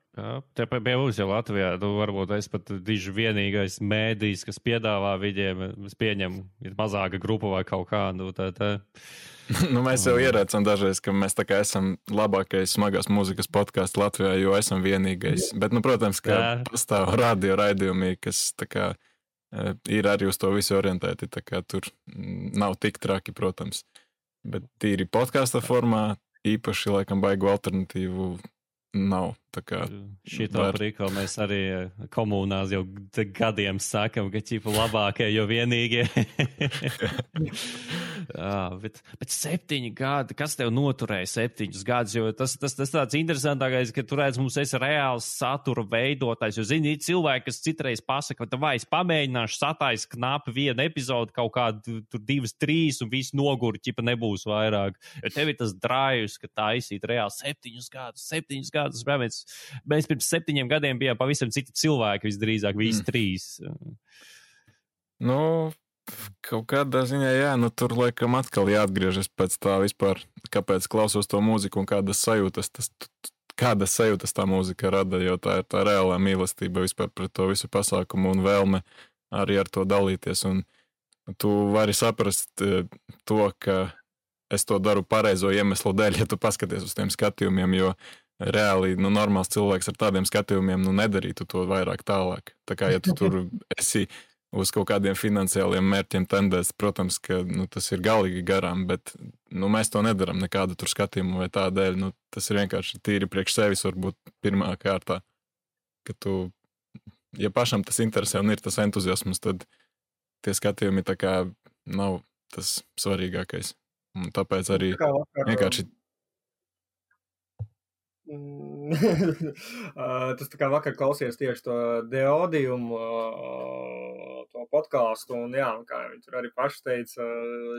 Te pie mums jau Latvijā, varbūt es pat diži vienīgais mēdījis, kas piedāvā viņiem, es pieņemu, ir mazāka grupa vai kaut kā, mēs jau ierēcam dažreiz, ka mēs tā kā esam labākais smagās mūzikas podcasts Latvijā, jo esam vienīgais. Bet, protams, ka pastāv radio raidījumi, kas tā kā ir arī uz to visu orientēti, tā kā tur nav tik traki, protams. Bet tīri podkasta formā, īpaši laikam baigu alternatīvu nav. Šitā prikla mēs arī komunās jau gadiem sakam, ka ķipa labākie, jo vienīgie. Bet 7 gadi, kas tev noturēja 7 gadus? Jo tas tāds interesantākais, ka tu redz, mums esi reāls satura veidotājs. Jo, zini, cilvēki, kas citreiz pasaka, ka vai es pamēģināšu satais knapi vienu epizodu, kaut kādu 2, 3 un viss noguri, ķipa nebūs vairāk. Jo tev ir tas drājus, ka taisīt reāli 7 gadus. Mēs pirms 7 gadiem bijām pavisam citi cilvēki, visdrīzāk, visi 3. Kaut kādā ziņā, jā, tur laikam atkal jāatgriežas pēc tā vispār, kāpēc klausos to mūziku un kādas sajūtas tā mūzika rada, jo tā ir tā reālā mīlestība vispār pret to visu pasākumu un vēlme arī ar to dalīties. Un tu vari saprast to, ka es to daru pareizo iemeslu dēļ, ja tu paskaties uz tiem skatījumiem, jo reāli, normāls cilvēks ar tādiem skatījumiem, nedarītu to vairāk tālāk. Tā kā, ja tu tur esi uz kaut kādiem finansiāliem mērķiem tendēts, protams, ka tas ir galīgi garām, bet mēs to nedaram nekādu tur skatījumu vai tā dēļ. Tas ir vienkārši tīri priekš sevis varbūt pirmā kārtā, ka tu, ja pašam tas interesē un ir tas entuziasms, tad tie skatījumi tā kā nav tas svarīgākais. Un tāpēc arī vienkārši tas tā kā vakar klausies tieši to Deodiumu, to podcastu, un jā, kā viņi tur arī paši teica,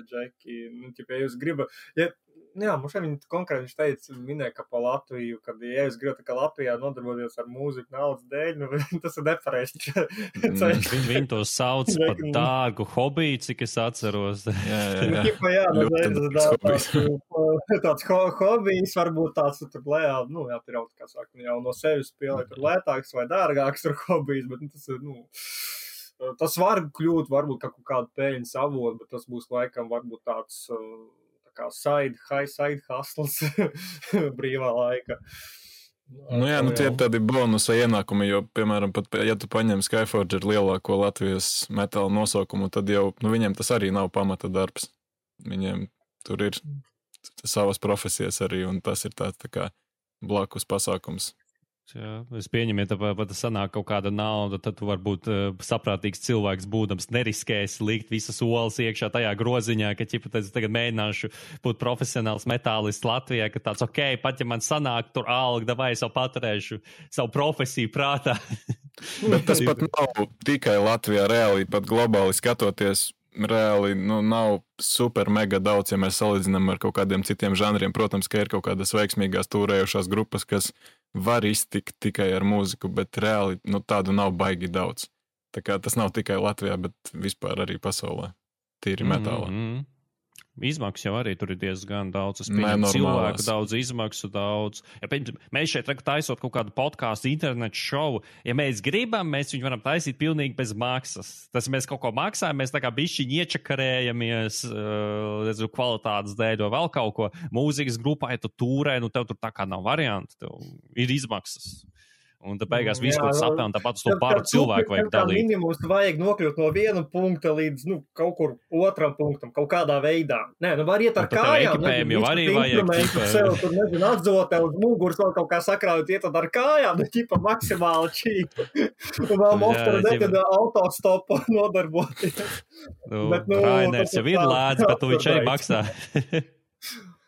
Džeki, ja jūs gribat, mums viņi konkrēti viņš teica, minēja, ka pa Latviju, kad, ja jūs gribat, ka Latvijā nodarboties ar mūziku naudas dēļ, tas ir nepareizi. Viņi to sauc par dārgu hobiju, cik es atceros. Tāds hobijs varbūt tāds tur lejā, jāpiraut, kā saka, jau no sevis spēlēt tur lētāks vai dārgāks tur hobijs, bet tas ir, tas var kļūt varbūt kaut kādu peļņas avotu, bet tas būs laikam varbūt tāds kā side hustles brīvā laika. Tie ir tādi bonusa ienākumi, jo, piemēram, pat, ja tu paņem Skyforger lielāko Latvijas metāla nosaukumu, tad jau, viņiem tas arī nav pamata darbs. Viņiem tur ir savas profesijas arī, un tas ir tāds tā kā blakus pasākums. Jā, es pieņemu, ja pat sanāk kaut kāda nauda, tad tu varbūt saprātīgs cilvēks būdams neriskēs likt visas olas iekšā tajā groziņā, ka tagad mēģināšu būt profesionāls metālists Latvijā, ka tāds pat ja man sanāk tur alga, vai es jau paturēšu savu profesiju prātā. Bet tas pat nav tikai Latvijā, reāli pat globāli skatoties. Reāli nav super mega daudz, ja mēs salīdzinām ar kaut kādiem citiem žanriem. Protams, ka ir kaut kādas veiksmīgās tūrējušās grupas, kas var iztikt tikai ar mūziku, bet reāli tādu nav baigi daudz. Tā kā tas nav tikai Latvijā, bet vispār arī pasaulē. Tīri metālā. Izmaksas jau arī tur ir diezgan daudz. Es pieņemu cilvēku daudz, izmaksu daudz. Ja, mēs šeit taisot kaut kādu podcastu, internetu šovu. Ja mēs gribam, mēs viņu varam taisīt pilnīgi bez maksas. Tas mēs kaut ko maksājam, mēs tā kā bišķiņi iečakarējamies kvalitātes dēļ vai vēl kaut ko. Mūzikas grupā, ja tu tūrē, tev tur tā kā nav varianti. Tev ir izmaksas. Un tad beigās visu, ko tu sapēl, un tāpat uz to paru cilvēku vajag dalīt. Minimums vajag nokļūt no viena punkta līdz, kaut kur otram punktam, kaut kādā veidā. Nē, var iet ar kājām. Ekipējumi jau arī vajag. Sev tur, atzotē uz muguras vēl kaut kā sakrājot, iet ar kājām, maksimāli čīpi. Un vēl monstru nekad autostopu nodarboties. Rainers jau ir lēdz, bet tu viņš arī maksā.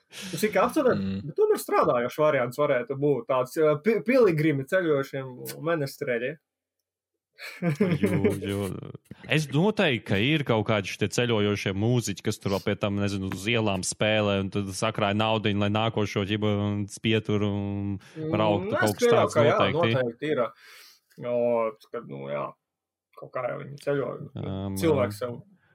Tas ir apsver, bet tomēr strādājošs variants varētu būt tāds piligrimi ceļošiem menestreļi. Es noteikti, ka ir kaut kādi šie ceļojošie mūziķi, kas tur vēl pie tam, nezinu, uz ielām spēlē un tad sakrāja naudiņu, lai nākošo ģibu spieturu un brauktu kaut kas tāds noteikti. Jā, noteikti ir. Kad, jā, kaut kā jau viņi ceļo. Cilvēks jau,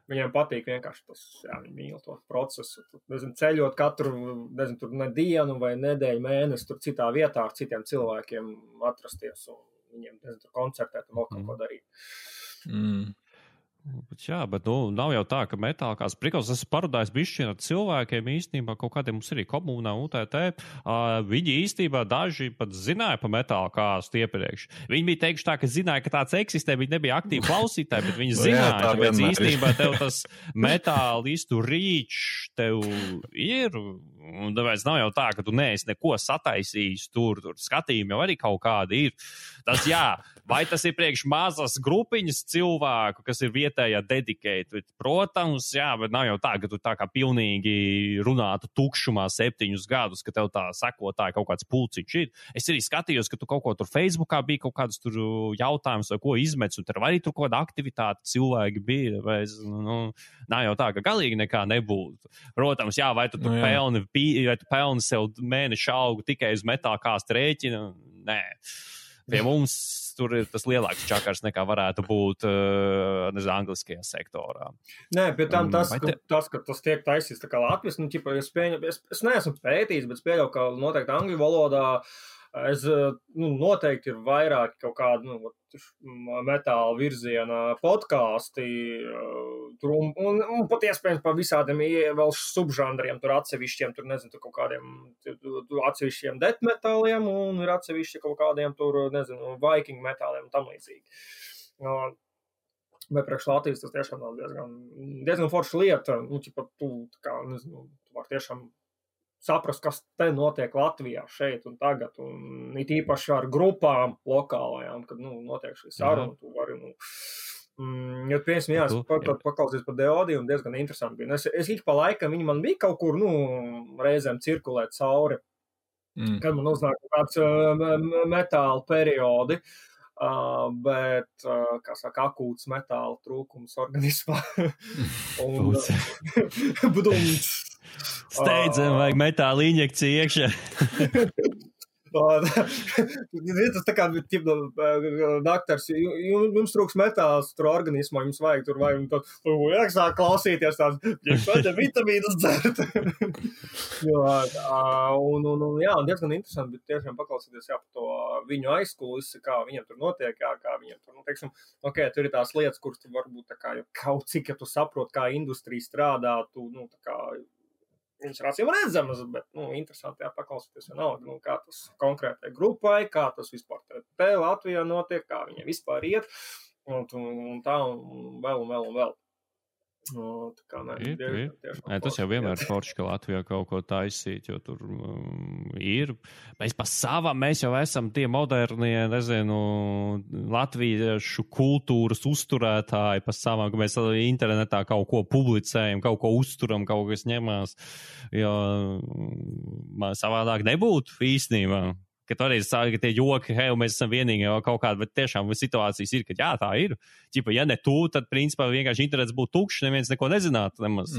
viņiem patīk vienkārši tas, jā, viņi mīl to procesu. Nezinu, ceļot katru, nezinu, tur dienu vai nedēļu, mēnesi, tur citā vietā ar citiem cilvēkiem atrasties un viņiem, nezinu, tur koncertēt un vēl kaut ko darīt. Jā, bet nav jau tā, ka metālkās prikals, esmu parudājis bišķi ar cilvēkiem īstenībā, kaut kādiem mums arī komunā UTT, viņi īstenībā daži pat zināja pa metālkāstu iepriekš. Viņi bija teikuši tā, ka zināja, ka tāds eksistē, viņi nebija aktīvi klausītāji, bet viņi zināja, tāpēc īstenībā tev tas metālistu rīčs tev ir, un tāpēc nav jau tā, ka tu neesi neko sataisījis tur skatījumi jau arī kaut kādi ir. Tas jā, vai tas ir priekš mazas grupiņas cilvēku, kas ir vietējā dedicate, protams, jā, bet nav jau tā, ka tu tā kā pilnīgi runātu tukšumā 7 gadus, ka tev tā sekotāji kaut kāds pulciņš ir. Es arī skatījos, ka tu kaut ko tur Facebookā bija kaut kādus tur jautājumus vai ko izmets, un tur arī tur kaut kāda aktivitāte cilvēki bija, vai nav jau tā, ka galīgi nekā nebūtu. Protams, jā, vai tu pelni sev mēnešu algu tikai uz metālkāstu rēķina? Nē. Pie mums tur ir tas lielāks čakars nekā varētu būt angliskajā sektorā. Nē, pie tam tas, ka tas tiek taisīts tā kā Latvijas, es neesmu pētījis, bet spēļau, ka noteikti angļu valodā noteikti ir vairāk kaut kādu metāla virziena podkāsti un pat iespējams par visādiem vēl subžanriem, tur atsevišķiem, tur nezinu, tur kaut kādiem atsevišķiem death metāliem un ir atsevišķi kaut kādiem tur, nezinu, viking metāliem un tam līdzīgi. Bet priekš Latvijas tas tiešām nav diezgan forša lieta, tu var tiešām saprast, kas te notiek Latvijā šeit un tagad, un it īpaši ar grupām lokālajām, kad, notiek šī saruna, tu vari, paklausies par Deodiju un diezgan interesanti bija. Es ik pa laikam, viņi man bija kaut kur, reizēm cirkulēt cauri, kad man uznāk kāds metāla periodi, bet, kā saka, akūts metāla trūkums organismā. Un, steidzam, vajag metāla injekciju iekšā. Tas tā kā daktars, jums trūks metāls tur organismā, jums vajag tur jāsāk klausīties tāds vitamīnus dzert. Un diezgan interesanti, bet tiešām paklausīties par to viņu aizkulisi, kā viņam tur notiek, kā viņam tur, teiksim, tur ir tās lietas, kuras tu varbūt tā kā kaut cik, ja tu saproti, kā industrija strādā, tu, tā kā viņas ir acīm redzamas, bet, interesanti paklausīties vienalga, kā tas konkrētai grupai, kā tas vispār te Latvijā notiek, kā viņiem vispār iet, un tā, un vēl. Tā kā, tas jau vienmēr ir forši, ka Latvijā kaut ko taisīt, jo tur ir. Mēs jau esam tie modernie, nezinu, latviešu kultūras uzturētāji pa savam, ka mēs internetā kaut ko publicējam, kaut ko uzturam, kaut kas ņemās, jo savādāk nebūtu īstenībā. Ka toreiz sāka tie joki, mēs esam vienīgi jau kaut kādi, bet tiešām situācijas ir, ka jā, tā ir. Ķipa, ja ne tu, tad principā vienkārši internets būtu tukšs, neviens neko nezinātu nemaz.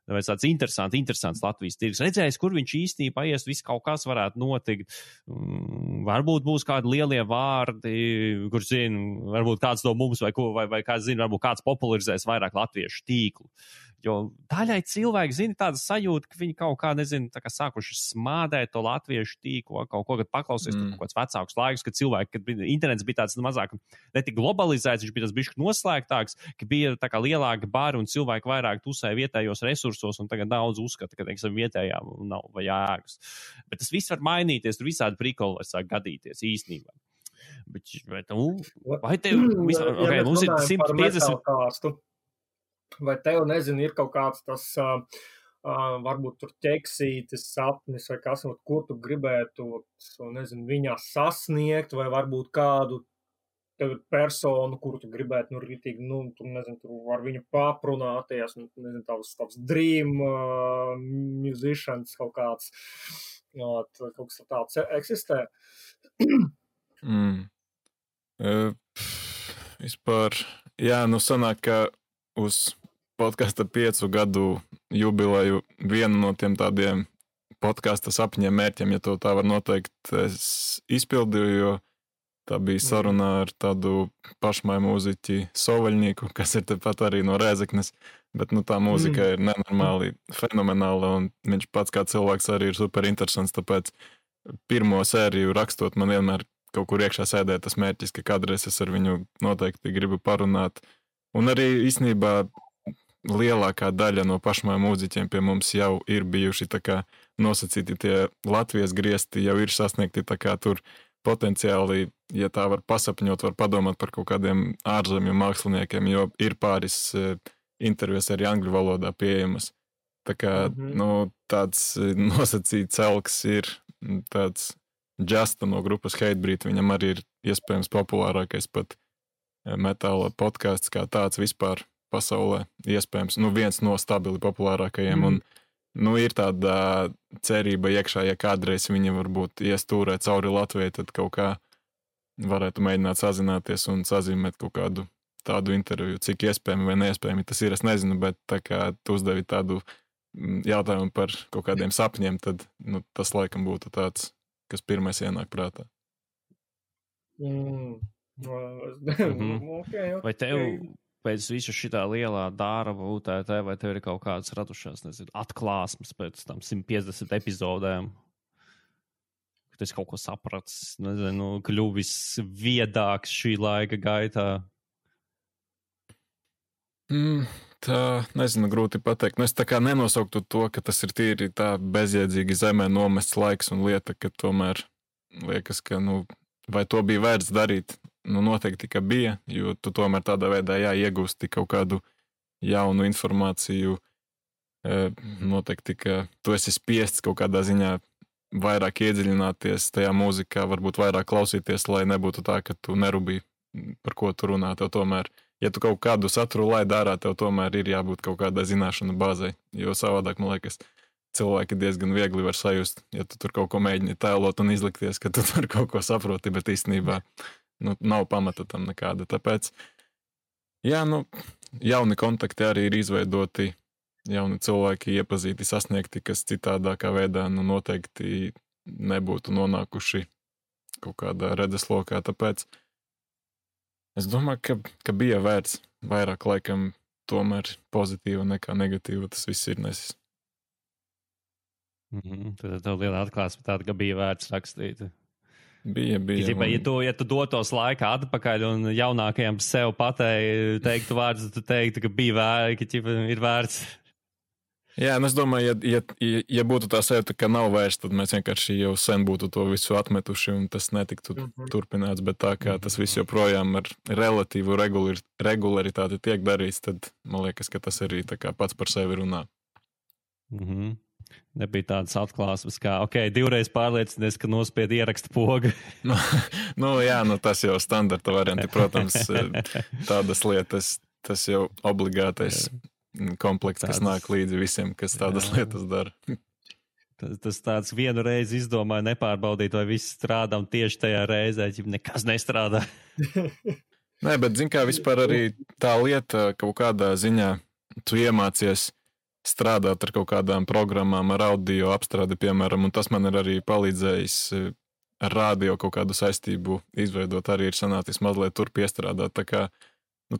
Tāpēc tāds interesants Latvijas tirgus. Redzējis, kur viņš īstenībā ies, viss kaut kas varētu notikt. Varbūt būs kādi lielie vārdi, kur zina, varbūt kāds no mums vai kāds zina, varbūt kāds popularizēs vairāk latviešu tīklu. Jo daļai cilvēki zina tāda sajūta, ka viņi kaut kā, nezinu, tā kā sākuši smādēt to latviešu tīklu, kaut ko, kad paklausies kaut kāds vecāks laiks, kad cilvēki, kad internets bija tāds mazāk, netik globalizēts, viņš bija tas bišķi noslēgtāks, ka bija tā kā lielāki bari un cilvēki vairāk tusē vietējos resursos un tagad daudz uzskata, ka, teiksim, vietējā nav vai jēgas. Bet tas viss var mainīties, tur visādi prikoli var sāk gadīties īstenībā. Vai tev, mums ir 150... Vai tev, nezinu, ir kaut kāds tas, varbūt tur ķeksītis sapnis vai kas, ko tu gribētu, nezinu, viņā sasniegt, vai varbūt kādu tev ir persona, kuru tu gribētu, rītīgi, tu nezinu, tur ar viņu paprunāties, nezinu, tavs dream musicians kaut kāds, kaut kas tāds eksistē. Vispār, jā, sanāk, ka uz podkasta 5 gadu jubileju vienu no tiem tādiem podkasta sapņiem, mērķiem, ja to tā var noteikt, es izpildīju, jo tā bija saruna ar tādu pašmāju mūziķi Sovaļnieku, kas ir tepat arī no Rēzeknes, bet tā mūzika ir nenormāli fenomenāla, un viņš pats kā cilvēks arī ir super interesants, tāpēc pirmo sēriju rakstot man vienmēr kaut kur iekšā sēdēja tas mērķis, ka kādreiz es ar viņu noteikti gribu parunāt, un arī īstenībā lielākā daļa no pašmāju mūziķiem pie mums jau ir bijuši tā kā nosacīti tie Latvijas griezti, jau ir sasniegti tā kā tur potenciāli, ja tā var pasapņot, var padomāt par kaut kādiem ārzemju māksliniekiem, jo ir pāris intervijas arī angļu valodā pieejamas. Tā kā, tāds nosacīts elks ir tāds Justa no grupas Hatebreed, viņam arī ir iespējams populārākais pat metāla podcasts kā tāds vispār pasaulē, iespējams, viens no stabili populārākajiem, un ir tāda cerība iekšā, ja kādreiz viņi varbūt iestūrē cauri Latvijai, tad kaut kā varētu mēģināt sazināties un sazīmēt kaut kādu tādu interviju, cik iespējami vai neiespējami tas ir, es nezinu, bet tā kā tu uzdevi tādu jautājumu par kaut kādiem sapņiem, tad tas laikam būtu tāds, kas pirmais ienāk prātā. Vai tev pēc visu šitā lielā darba UTT, vai tev ir kaut kādas radušās, nezinu, atklāsmes pēc tam 150 epizodēm? Ka tu esi kaut ko sapratis, nezinu, kļuvis viedāks šī laika gaitā? Tā, nezinu, grūti pateikt. Es tā kā nenosauktu to, ka tas ir tīri tā bezjēdzīgi zemē nomests laiks un lieta, ka tomēr liekas, ka, vai to bija vērts darīt? Noteikti, ka bija, jo tu tomēr tādā veidā iegūsti kaut kādu jaunu informāciju. Noteikti, ka tu esi spiests kaut kādā ziņā vairāk iedziļināties tajā mūzikā, varbūt vairāk klausīties, lai nebūtu tā, ka tu nerūpīgi, par ko tu runā. Tev tomēr, ja tu kaut kādu saturu laid ārā, tev tomēr ir jābūt kaut kādai zināšanu bāzei, jo savādāk, man liekas, cilvēki diezgan viegli var sajust, ja tu tur kaut ko mēģini tēlot un izlikties, ka tu tur kaut ko saproti, bet īstenībā nav pamata tam nekāda. Tāpēc, jauni kontakti arī ir izveidoti, jauni cilvēki iepazīti, sasniegti, kas citādākā veidā noteikti nebūtu nonākuši kaut kādā redzeslokā. Tāpēc es domāju, ka bija vērts vairāk laikam tomēr pozitīva nekā negatīva. Tas viss ir nesis. Tad tev liela atklāsme tāda, ka bija vērts rakstīt. Bija. Ja tu dotos laikā atpakaļ un jaunākajam sev teiktu vārdus, tu teiktu, ka bija vērts, ka ir vērts. Jā, es domāju, ja būtu tā sajūta, ka nav vairs, tad mēs vienkārši jau sen būtu to visu atmetuši un tas netiktu turpināts, bet tā kā tas viss joprojām ar relatīvu regularitāti tiek darīts, tad man liekas, ka tas arī tā kā pats par sevi runā. Nebija tādas atklāsmes, kā, divreiz pārliecinies, ka nospied ieraksta pogu. Tas jau standarta varianti, protams, tādas lietas, tas jau obligātais komplekts, kas nāk līdzi visiem, kas tādas lietas dara. Tas tāds vienu reizi izdomāja nepārbaudīt, vai viss strādā, un tieši tajā reizē nekas nestrādā. Nē, bet zin kā vispār arī tā lieta kaut kādā ziņā tu iemācies strādāt ar kaut kādām programmām, ar audio apstrādi, piemēram, un tas man ir arī palīdzējis ar rādio kaut kādu saistību izveidot, arī ir sanācis mazliet tur piestrādāt, tā kā,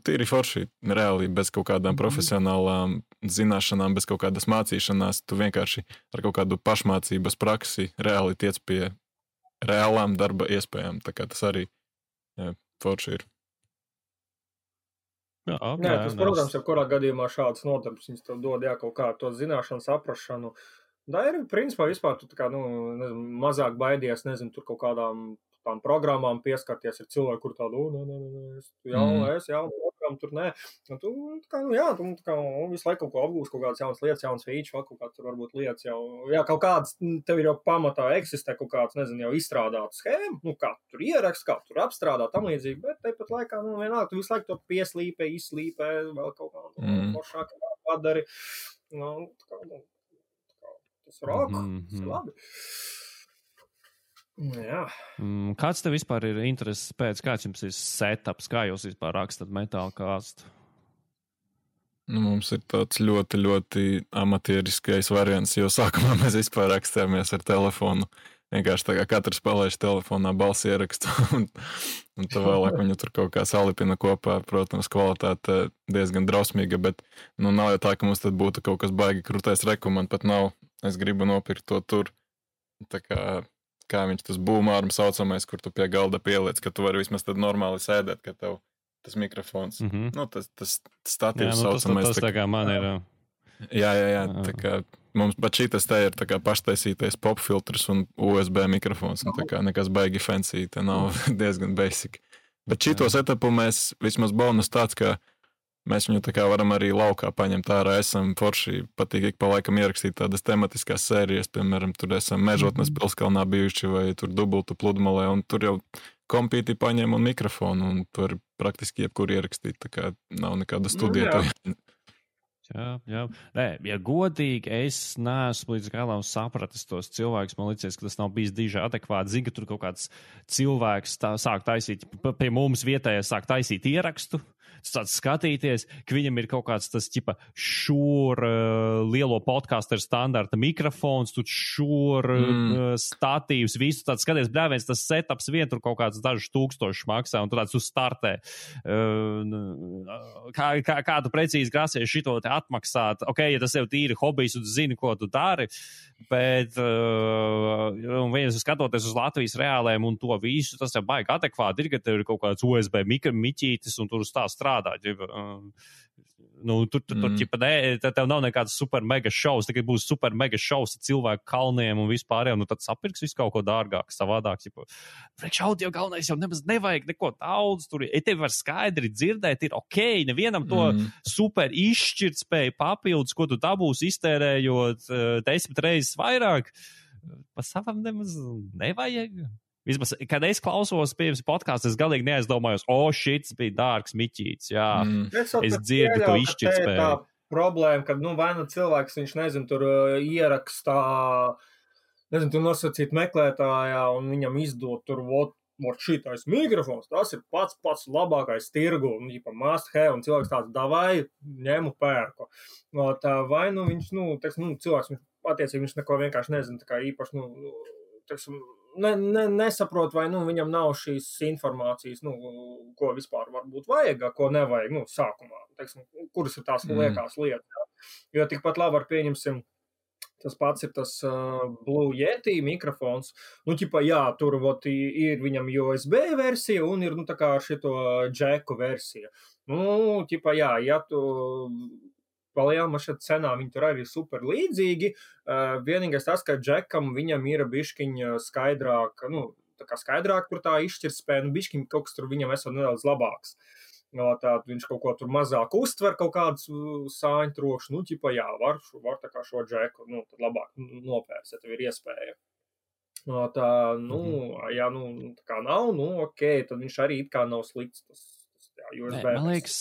tīri forši, reāli, bez kaut kādām profesionālām zināšanām, bez kaut kādas mācīšanās, tu vienkārši ar kaut kādu pašmācības praksi reāli tiec pie reālām darba iespējām, tā kā tas arī forši ir. Tas, protams, jebkurā gadījumā šāds nodarbs, viņas tev dod kaut kā to zināšanu, saprašanu. Tā ir, principā, vispār tu tā kā, mazāk baidies, tur kaut kādām tām programmām pieskarties ar cilvēku, kur tādu, es jaunu programmu joprojām tur nē. Un tu, visu laiku kaut ko apgūst, kaut kādas jaunas lietas, jaunas feature, vēl kaut kāds tur varbūt lietas jau, kaut kāds, tev ir jau pamatā eksistē kaut kāds, nezinu, jau izstrādāta schēma, kā tur ierakst, kā tur apstrādā, tam līdzīgi, bet tāpat laikā, vienalga, tu visu laiku to pieslīpē, izslīpē, vēl kaut kā foršāk padari. Tas rock, tas ir labi. Jā. Kāds tev vispār ir intereses pēc, kāds jums ir setups, kā jūs vispār rakstat metālu kāstu? Mums ir tāds ļoti, ļoti amatieriskais variants, jo sākumā mēs vispār rakstījāmies ar telefonu. Vienkārši tā kā katrs palaiž telefonā balsi ierakstu, un tā vēlāk viņu tur kaut kā salipina kopā. Protams, kvalitāte diezgan drausmīga, bet nav jau tā, ka mums tad būtu kaut kas baigi krūtais reku, man pat nav. Es gribu nopirkt to tur. Tā kā viņš tas būmārums saucamais, kur tu pie galda pieliec, ka tu vari vismaz tad normāli sēdēt, ka tev tas mikrofons, tas statīvs saucamais. Tas tā kā man ir. Jā. Tā kā mums pat šitas te ir tā kā paštaisītais pop filtrs un USB mikrofons, un tā kā nekas baigi fancy, te nav diezgan basic. Bet šito setupu mēs, vismaz bonus tāds, ka mēs viņu tā kā varam arī laukā paņemt ārā. Esam forši, patīk ik pa laikam ierakstīt tādas tematiskās sērijas, piemēram, tur esam Mežotnes pilskalnā bijuši vai tur Dubultu pludmalē, un tur jau kompīti paņem un mikrofonu, un tur praktiski jebkur ierakstīt, tā kā nav nekāda studija. Jā. Nē, ja godīgi, es neesmu līdz galam sapratis tos cilvēkus. Man liekas, ka tas nav bijis diži adekvāti. Zinu, ka tur kaut kāds cilvēks sāk taisīt, pie mums vietējais sāk taisīt ierakstu, tāds skatīties, ka viņam ir kaut kāds tas, lielo podcastu ar standarta mikrofons, tur statīvs, visu tāds skaties, brāviens, tas setups vien tur kaut kāds dažus tūkstošus maksā, un tu tāds uzstartē. Kā tu precīzi grasies šito te atmaksāt? Ok, ja tas jau tīri hobijs, un tu zini, ko tu dari, bet viens skatoties uz Latvijas reālēm un to visu, tas jau baigi adekvāti ir, ka tev ir kaut kāds USB miķītis, un tur uz tā strādā. Tev nav nekāds super mega šovs, tikai būs super mega šovs ar cilvēku kalniem un vispārējiem, tad sapirks visu kaut ko dārgāk, savādāk. Priekš audio galvenais jau nemaz nevajag neko daudz, tur, ja tev var skaidri dzirdēt, ir ok, nevienam to super izšķirtspēju papildus, ko tu dabūsi iztērējot 10 reizes vairāk, pa savam nemaz nevajag. Vismaz, kad es klausos pirms podkāstu, es galīgi neaizdomājos, šits bija dārgs miķīts, jā. Es dzirdu to izšķirtspēju. Tā problēma, kad, vai cilvēks, viņš, tur ierakstā, tur nosacīt meklētājā, un viņam izdot tur, šitais mikrofons, tas ir pats labākais tirgu, un must have, un cilvēks tāds davai, ņemu pērku. Vai, viņš, cilvēks, attiecīgi, viņš neko vienkārši nezina, tā kā īpaši, nesaprot, vai viņam nav šīs informācijas, ko vispār varbūt vajag, ko nevajag, sākumā, kuras ir tās liekās lietas. Jā. Jo tikpat labi var pieņemsim, tas pats ir tas Blue Yeti mikrofons. Tur ir viņam USB versija un ir, tā kā šito džeku versija. Ja tu palielam ar šeit cenā, viņi tur arī super līdzīgi. Vienīgais tas, ka džekam viņam ir biškiņa skaidrāk, tā kā skaidrāk tur tā izšķirtspēja, biškiņa kaut kas tur viņam esot nedaudz labāks. Viņš kaut ko tur mazāk uztver, kaut kādus sāņu trokšņu, var tā kā šo džeku, tad labāk nopērst, ja tev ir iespēja. Ja tā kā nav, ok, tad viņš arī it kā nav slikts, tas. Man liekas,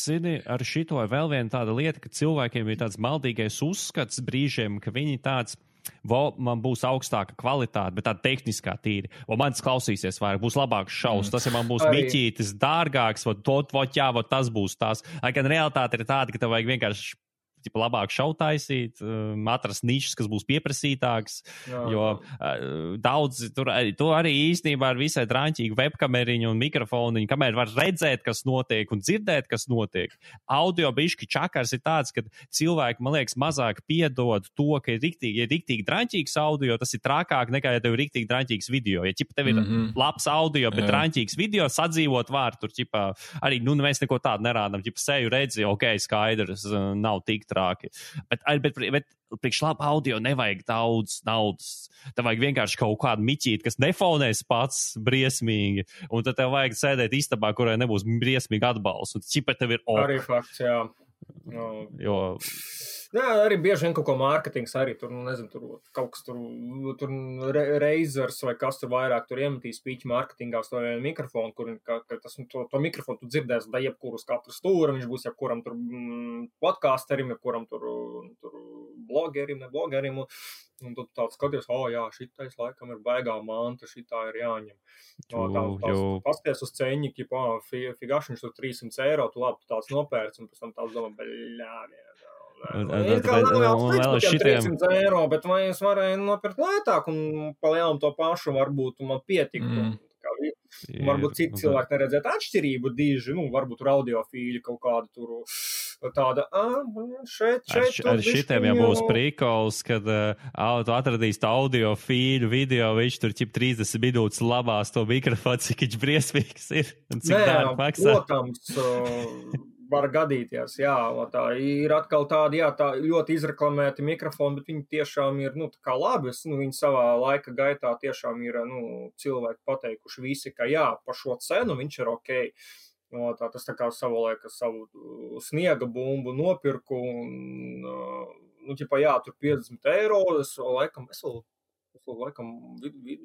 ar šito ir vēl viena tāda lieta, ka cilvēkiem ir tāds maldīgais uzskats brīžiem, ka viņi tāds, man būs augstāka kvalitāte, bet tāda tehniskā tīri. Man tas klausīsies vairāk, būs labāks šaus. Tas, ja man būs miķītis dārgāks, tas būs tās. Gan realitāte ir tāda, ka tev vajag vienkārši labāk šau taisīt, atrast nišas, kas būs pieprasītāks, jo daudz, tur arī īstenībā ir visai drāņķīgi webkameriņi un mikrofoniņi, kamēr var redzēt, kas notiek un dzirdēt, kas notiek. Audio bišķi čakars ir tāds, ka cilvēki, man liekas, mazāk piedod to, ka ir riktīgi drāņķīgs audio, tas ir trakāk nekā, ja tev ir riktīgi drāņķīgs video. Ja tev ir labs audio, bet drāņķīgs video, sadzīvot var, tur arī, mēs neko tādu nerādam, seju redzi, ok, skaidrs, nav tik trāki. Bet priekš labu audio nevajag daudz naudas. Tev vajag vienkārši kaut kādu miķīti, kas nefonēs pats briesmīgi, un tad tev vajag sēdēt istabā, kurai nebūs briesmīgi atbalsts, un čipa tev ir Arī fakts, jā. No. Jo... Jā, arī bieži vien kaut ko mārketings arī tur, nezinu, tur kaut kas tur Razors vai kas tur vairāk tur iemetīs pīķi mārketingā uz to mikrofonu, kur to mikrofonu tu dzirdēs da jebkuru uz katru stūru, viņš būs jebkuram tur podcasterim, jebkuram tur blogerim, ne blogerim, un tu tāds skaties, jā, šitais laikam ir baigā manta, šitā ir jāņem. Pasties uz ceņi, figašiņš tur 300 eiro, tu labi, tu tāds nopērts, un pēc tam tāds domā, vēl šitiem 300 eiro, bet vai es varēju nopirkt lētāk un palielam to pašu, varbūt man pietiktu. Varbūt citi cilvēki neredzētu atšķirību dīži, varbūt audiofīļi kaut kādu tur tāda, šeit. Ar šitiem jau būs prikols, kad tu atradīsi audiofīļu video, viņš tur 30 minūtes labās to mikrofonu, cik viņš briesmīgs ir un cik dārgi maksā. Protams, var gadīties, jā, tā ir atkal tādi, jā, tā ļoti izreklamēti mikrofoni, bet viņi tiešām ir, tā kā labi, viņi savā laika gaitā tiešām ir, cilvēki pateikuši visi, ka jā, par šo cenu viņš ir okei. Tas tā kā savu sniega bumbu nopirku un, jā, tur 50 eiro, es laikam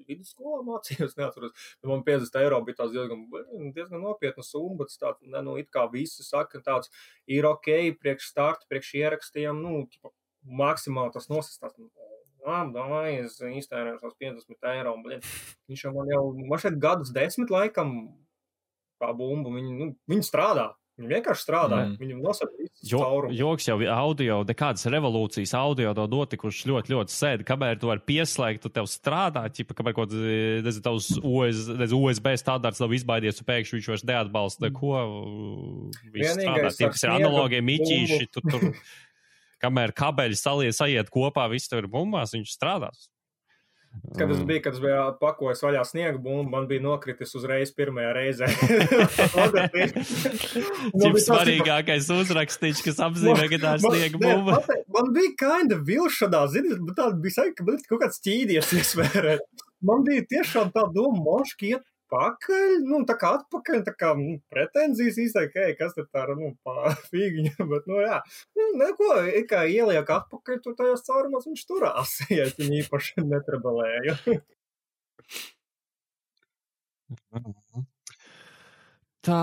vidusskolā mācījos, neatceros, bet man 50 eiro bija tās diezgan nopietna summa, bet tāds, it kā visi saka, tāds ir okei, priekš starta, priekš ierakstiem, maksimāli tas nosistās. Davai, es iztērēju tās 50 eiro, bet viņš man šeit gadus 10 laikam tā bumba, viņi strādā. Viņi vienkārši strādā, viņam nosaka visus caurumus. Joks jau audio, nekādas revolūcijas audio to notikuši ļoti sēdi, kamēr tu vari pieslēgt, tu tev strādā, kamēr kaut tavs USB standarts nav izbaidies, un pēkšņi viņš vairs neatbalsta, ko viss strādā. Tie, kas ir analogie miķīši, tur, kamēr kabeļi sajiet kopā, viss tev ir bumbās, viņš strādās. Kad es biju pakojis vaļā sniegu bumbu, man bija nokritis uzreiz pirmajā reizē. Cik svarīgākais uzrakstīts, kas apzīmē, ka tā ir sniega bumba. Man bija kinda vilšanā, bet tāda bija saika, ka man kaut kāds ķīdies iesvērēt. Man bija tiešām tā doma, moški iet pakaļ, tā kā atpakaļ, tā kā pretenzijas izteikti, kas te tā pa fīgiņu, bet, jā. Neko, kā ieliek atpakaļ, tur tajās caurumās viņš turās, ja viņi īpaši netrebelēja. Tā,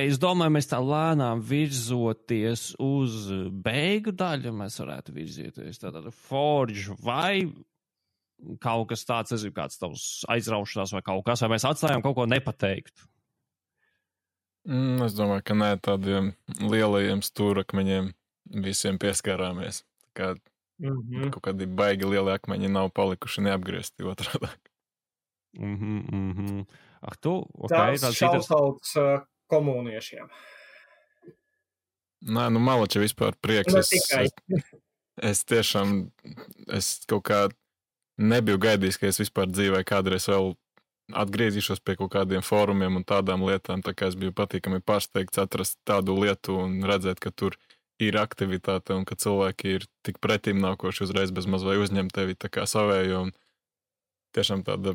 es domāju, mēs tā lēnām virzoties uz beigu daļu, mēs varētu virzieties tātad Forge vai kaut kas tāds, es zinu, kāds tavs aizraušanās vai kaut kas, vai mēs atstājām kaut ko nepateikt? Es domāju, ka nē, tādiem lielajiem stūrakmeņiem visiem pieskārāmies. Kaut kādi baigi lieli akmeņi nav palikuši neapgriezti otrādāk. Tāds šautauts komuniešiem. Nē, Malači vispār prieks. Es tiešām, kaut kā nebiju gaidījis, ka es vispār dzīvē kādreiz vēl atgriezīšos pie kaut kādiem fórumiem un tādām lietām, tā kā es biju patīkami pārsteigts atrast tādu lietu un redzēt, ka tur ir aktivitāte un ka cilvēki ir tik pretīm nākoši uzreiz bez maz vai uzņem tevi tā kā savējo un tiešām tāda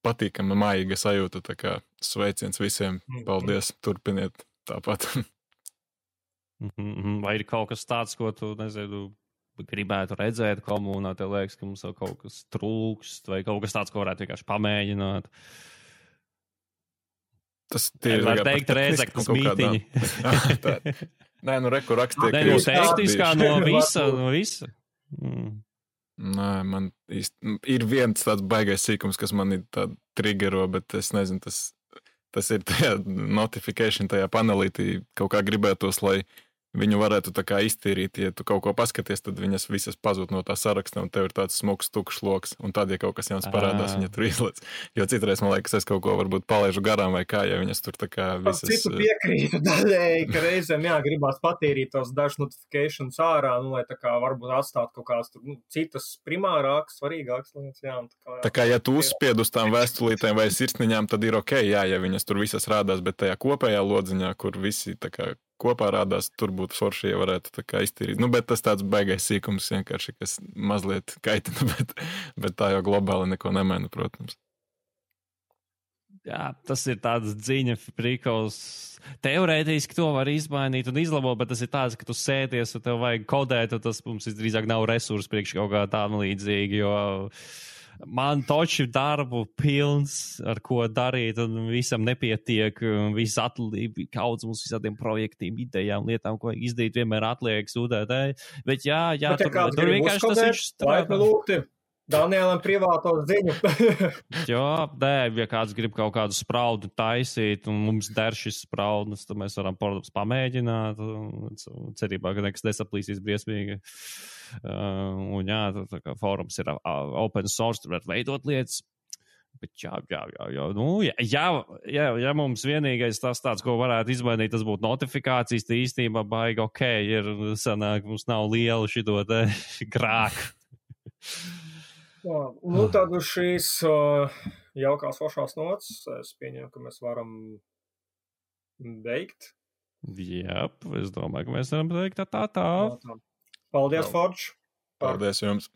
patīkama mājīga sajūta, tā kā sveiciens visiem, paldies, turpiniet tāpat. Vai ir kaut kas tāds, ko tu, nezinu, gribētu redzēt komunā, tev liekas, ka mums vēl kaut kas trūkst, vai kaut kas tāds, ko varētu vienkārši pamēģināt? Tas var teikt Rēzeknes mītiņi. Nē, reku rakstīja. Nē, teiktiskā no visa. Nē, man īsti ir viens tāds baigais sīkums, kas man ir tāda triggero, bet es nezinu, tas ir tajā notification, tajā panelītī kaut kā gribētos, lai viņu varētu tā kā iztīrīt, ja tu kaut ko paskaties, tad viņas visas pazūd no tā saraksta, un tev ir tāds smuks, tukšs loks, un tad, ja kaut kas jauns parādās, viņa tur izlēc. Jo citreiz, man liekas, es kaut ko varbūt palaižu garām vai kā, ja viņas tur tā kā visas... Citu piekrītu daļēji, ka reizēm, gribās patīrīt tos dažs notifications ārā, lai tā kā varbūt atstāt kaut kāds tur, citas primārākas, svarīgākas lietas, Tā kā, ja tu uzspied uz tām vēstulītēm vai sirsniņām, tad ir ok, ja viņas tur visas rādās, bet tajā kopējā lodziņā, kur visi tā kā kopā rādās, tur būtu forši, ja varētu tā kā iztīrīt. Nu, bet tas tāds baigais sīkums vienkārši, kas mazliet kaitina, bet tā jau globāli neko nemaina, protams. Jā, tas ir tāds dziņa prikals. Teorētiski to var izmainīt un izlabot, bet tas ir tāds, ka tu sēties un tev vajag kodēt, un tas mums drīzāk nav resursi priekš kaut kā tam līdzīgi, jo man toči darbu pilns, ar ko darīt, un visam nepietiek, viss atliek, kaudzes mums visādiem projektiem, idejām, lietām, ko vajag izdarīt, vienmēr atliek sūdēt. Bet jā, tur vienkārši tas viņš strādā. Danielam privāto ziņu. Jā, ja kāds grib kaut kādu spraudu taisīt, un mums der šis spraudnes, tad mēs varam, protams, pamēģināt, cerībā, ka nekas nesaplīsīs briesmīgi. Un jā, tā kā fórums ir open source, tur var veidot lietas. Bet jā. Nu, ja mums vienīgais tas tāds, ko varētu izmainīt, tas būtu notifikācijas, tā īstenībā baigi ok, ir sanāk, mums nav liela šito te grāku. Jā, nu tad uz šīs jaukās foršās nots es pieņemu, ka mēs varam beigt. Jā, es domāju, ka mēs varam beigt tā. Paldies, Forge. Paldies jums.